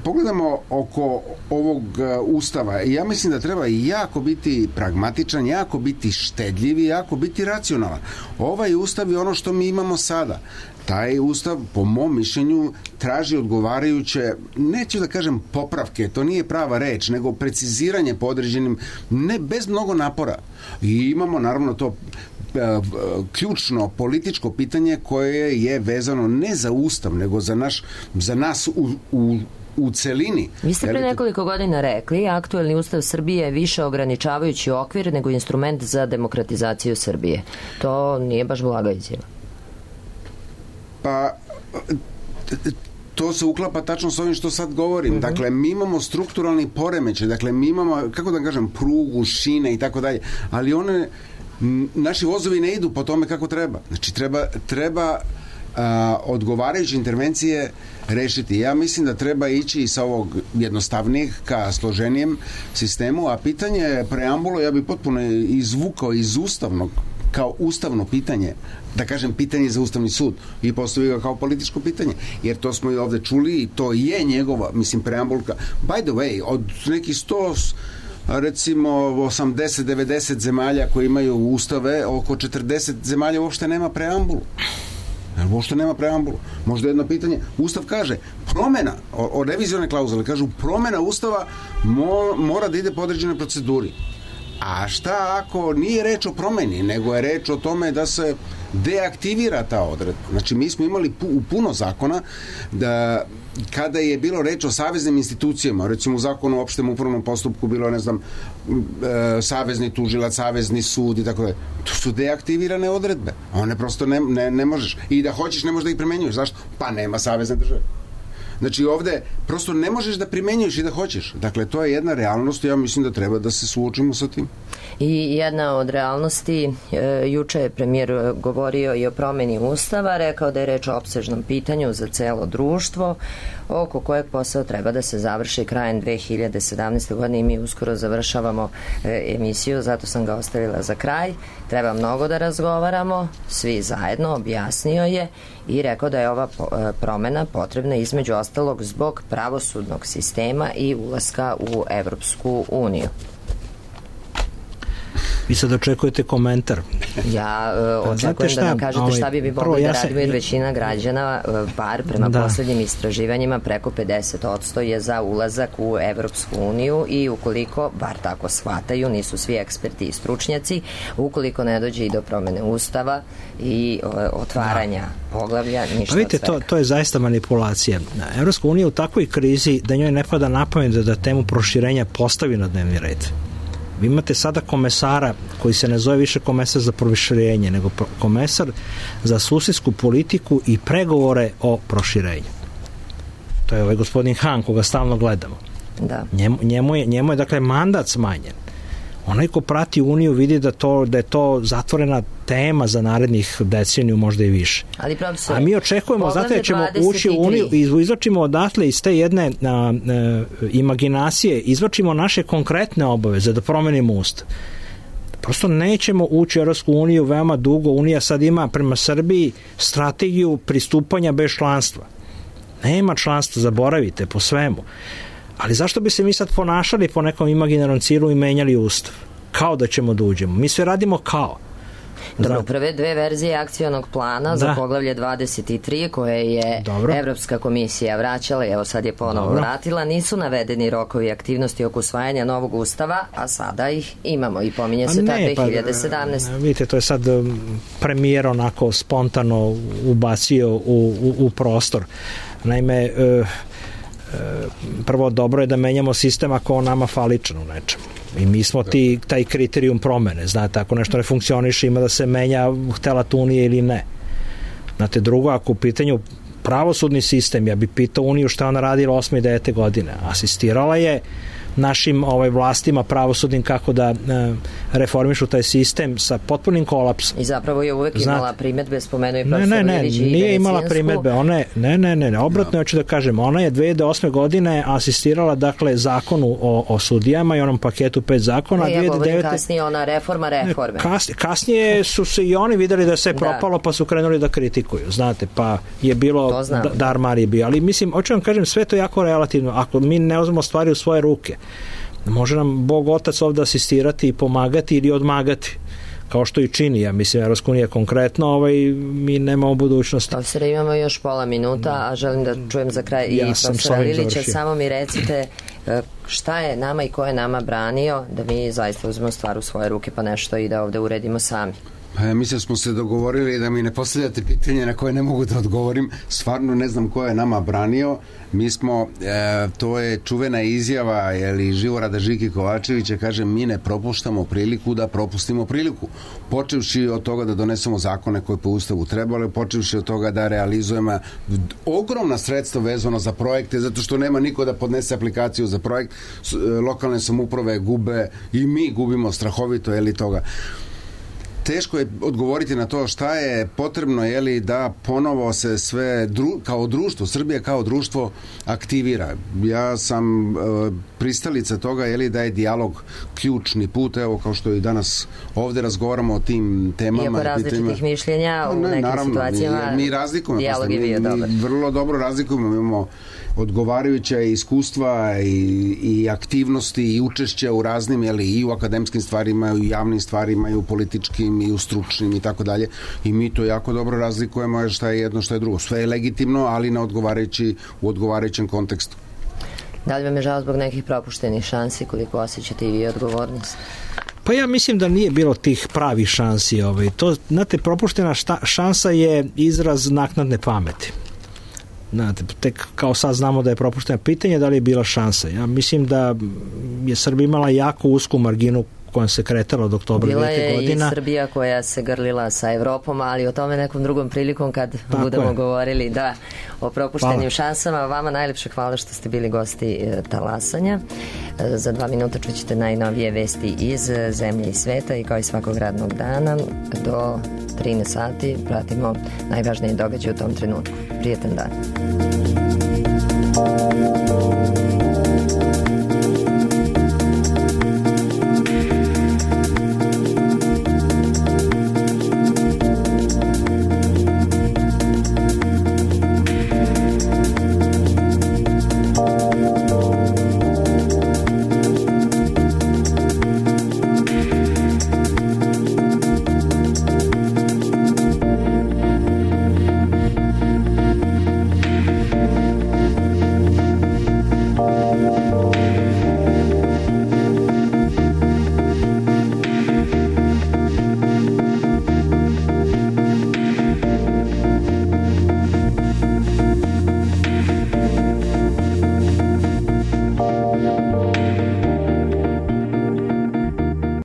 pogledamo oko ovog Ustava, ja mislim da treba jako biti pragmatičan, jako biti štedljiv i jako biti racionalan. Ovaj Ustav je ono što mi imamo sada. Taj Ustav, po mom mišljenju, traži odgovarajuće, neću da kažem popravke, to nije prava reč, nego preciziranje po određenim, ne bez mnogo napora. I imamo naravno to ključno političko pitanje koje je vezano ne za Ustav, nego za nas u celini. Vi ste pre nekoliko godina rekli, aktuelni Ustav Srbije je više ograničavajući okvir nego instrument za demokratizaciju Srbije. To nije baš blaga izjava. Pa to se uklapa tačno s ovim što sad govorim. Dakle, mi imamo strukturalni poremećaj, dakle, mi imamo, kako da kažem, prugu, šine i tako dalje, ali naši vozovi ne idu po tome kako treba. Znači, treba odgovarajuće intervencije rešiti. Ja mislim da treba ići sa ovog jednostavnijeg ka složenijem sistemu, a pitanje preambulo ja bi potpuno izvukao iz ustavnog kao ustavno pitanje, da kažem pitanje za Ustavni sud i postavio ga kao političko pitanje, jer to smo i ovde čuli i to je njegova, preambulka. By the way, od nekih 100 recimo 80-90 zemalja koji imaju ustave, oko 40 zemalja uopšte nema preambulu. Uopšte nema preambulu. Možda jedno pitanje, Ustav kaže promena, o revizione klauzule kažu promena Ustava mora da ide po određenoj proceduri. A šta ako nije reč o promeni, nego je reč o tome da se deaktivira ta odredba? Znači, mi smo imali puno zakona da kada je bilo reč o saveznim institucijama, recimo u zakonu o opštem upravnom postupku bilo, ne znam, savezni tužilac, savezni sud i tako da, to su deaktivirane odredbe. One prosto ne možeš. I da hoćeš, ne možeš da ih primenjuješ. Zašto? Pa nema savezne države. Znači, ovde prosto ne možeš da primenjuješ i da hoćeš. Dakle, to je jedna realnost i ja mislim da treba da se suočimo sa tim. I jedna od realnosti, juče je premijer govorio i o promeni Ustava, rekao da je reč o opsežnom pitanju za celo društvo, oko kojeg posao treba da se završi krajem 2017. godine i mi uskoro završavamo emisiju, zato sam ga ostavila za kraj. Treba mnogo da razgovaramo, svi zajedno, objasnio je i rekao da je ova promena potrebna između ostalog zbog pravosudnog sistema i ulaska u Evropsku uniju. Vi sad očekujete komentar. Ja očekujem da nam kažete šta bi mogli da radimo, jer većina građana, bar prema poslednjim istraživanjima, preko 50% je za ulazak u Evropsku uniju i ukoliko, bar tako shvataju, nisu svi eksperti i stručnjaci, ukoliko ne dođe i do promene Ustava i otvaranja poglavlja, ništa od svega. To je zaista manipulacija. Evropska unija je u takvoj krizi da njoj ne pada na pamet da temu proširenja postavi na dnevni red. Vi imate sada komesara koji se ne zove više komesar za proširenje, nego komesar za susedsku politiku i pregovore o proširenju. To je ovaj gospodin Han koga stalno gledamo. Da. Njemu je dakle mandat smanjen. Onaj ko prati Uniju vidi da je to zatvorena tema za narednih deceniju, možda i više. Ali profesor, a mi očekujemo, znate, da ćemo ući u Uniju i izvačimo odatle iz te jedne imaginacije, izvačimo naše konkretne obaveze da promenimo ustav. Prosto nećemo ući u Europsku uniju veoma dugo. Unija sad ima prema Srbiji strategiju pristupanja bez članstva. Nema članstva, zaboravite po svemu. Ali zašto bi se mi sad ponašali po nekom imaginarnom cilju i menjali ustav? Kao da ćemo da uđemo. Mi sve radimo kao. Dobro, prve dve verzije akcionog plana za poglavlje 23 koje je Evropska komisija vraćala, evo sad je ponovo vratila, nisu navedeni rokovi aktivnosti oko usvajanja novog ustava, a sada ih imamo i pominje se ta 2017. Vidite, to je sad premijer onako spontano ubacio u prostor. Naime, prvo dobro je da menjamo sistem ako on nama faličan u nečemu. I mi smo taj kriterijum promene. Znate, ako nešto ne funkcioniše, ima da se menja, htela to Unija ili ne. Znate, drugo, ako u pitanju pravosudni sistem, ja bih pitao Uniju šta ona radila 8. i 9. godine. Asistirala je našim vlastima pravosudnim kako da reformišu taj sistem sa potpunim kolapsom. I zapravo je uvek imala primetbe, spomenuo i profesor Ilić i nije imala primetbe. Obratno hoću da kažem, ona je 2008. godine asistirala dakle zakonu o sudijama i onom paketu 5 zakona. Ja govorim kasnije ona reforme. Kasnije su se i oni videli da je sve propalo pa su krenuli da kritikuju, znate, pa je bilo darmar je bio, ali mislim, hoću vam kažem, sve to jako relativno. Ako mi ne uzmemo stvari u svoje ruke, može nam Bog Otac ovdje asistirati i pomagati ili odmagati, kao što i čini. Ja mislim, Evropska unija konkretno, mi nemamo budućnosti. Profesore, imamo još pola minuta, a želim da čujem za kraj i profesora Lilića. Samo mi recite šta je nama i ko je nama branio da mi zaista uzmemo stvar u svoje ruke pa nešto i da ovde uredimo sami. Mislim smo se dogovorili da mi ne postavljate pitanje na koje ne mogu da odgovorim. Stvarno ne znam ko je nama branio. Mi smo, to je čuvena izjava Živorada Žiki Kovačevića, kaže, mi ne propuštamo priliku da propustimo priliku. Počevši od toga da donesemo zakone koje po ustavu trebalo, počevši od toga da realizujemo ogromna sredstva vezano za projekte, zato što nema niko da podnese aplikaciju za projekt. Lokalne samouprave gube i mi gubimo strahovito toga. Teško je odgovoriti na to šta je potrebno da ponovo se sve kao društvo, Srbija kao društvo aktivira. Ja sam pristalica toga da je dijalog ključni put, evo kao što i danas ovde razgovaramo o tim temama. Iako različitih mišljenja u nekim situacijama mi razlikujemo, dijalog je bio dobar. Vrlo dobro razlikujemo, imamo odgovarajuća iskustva i aktivnosti i učešća u raznim, i u akademskim stvarima, i u javnim stvarima, i u političkim, i u stručnim i tako dalje. I mi to jako dobro razlikujemo šta je jedno, šta je drugo. Sve je legitimno, ali u odgovarajućem kontekstu. Da li vam je žao zbog nekih propuštenih šansi, koliko osjećate i vi odgovornost? Pa ja mislim da nije bilo tih pravih šansi. To, znate, propuštena šansa je izraz naknadne pameti. Znate, tek kao sad znamo da je propušteno pitanje da li je bila šansa. Ja mislim da je Srbija imala jako usku marginu kojom se kretala od oktobra 2000 godina. Bila je i Srbija koja se grlila sa Evropom, ali o tome nekom drugom prilikom kad budemo govorili o propuštenim šansama. Vama najlepše hvala što ste bili gosti Talasanja. Za 2 minuta čućete najnovije vesti iz zemlje i sveta i kao i svakog radnog dana do 13 sati pratimo najvažnije događaje u tom trenutku. Prijetan dan.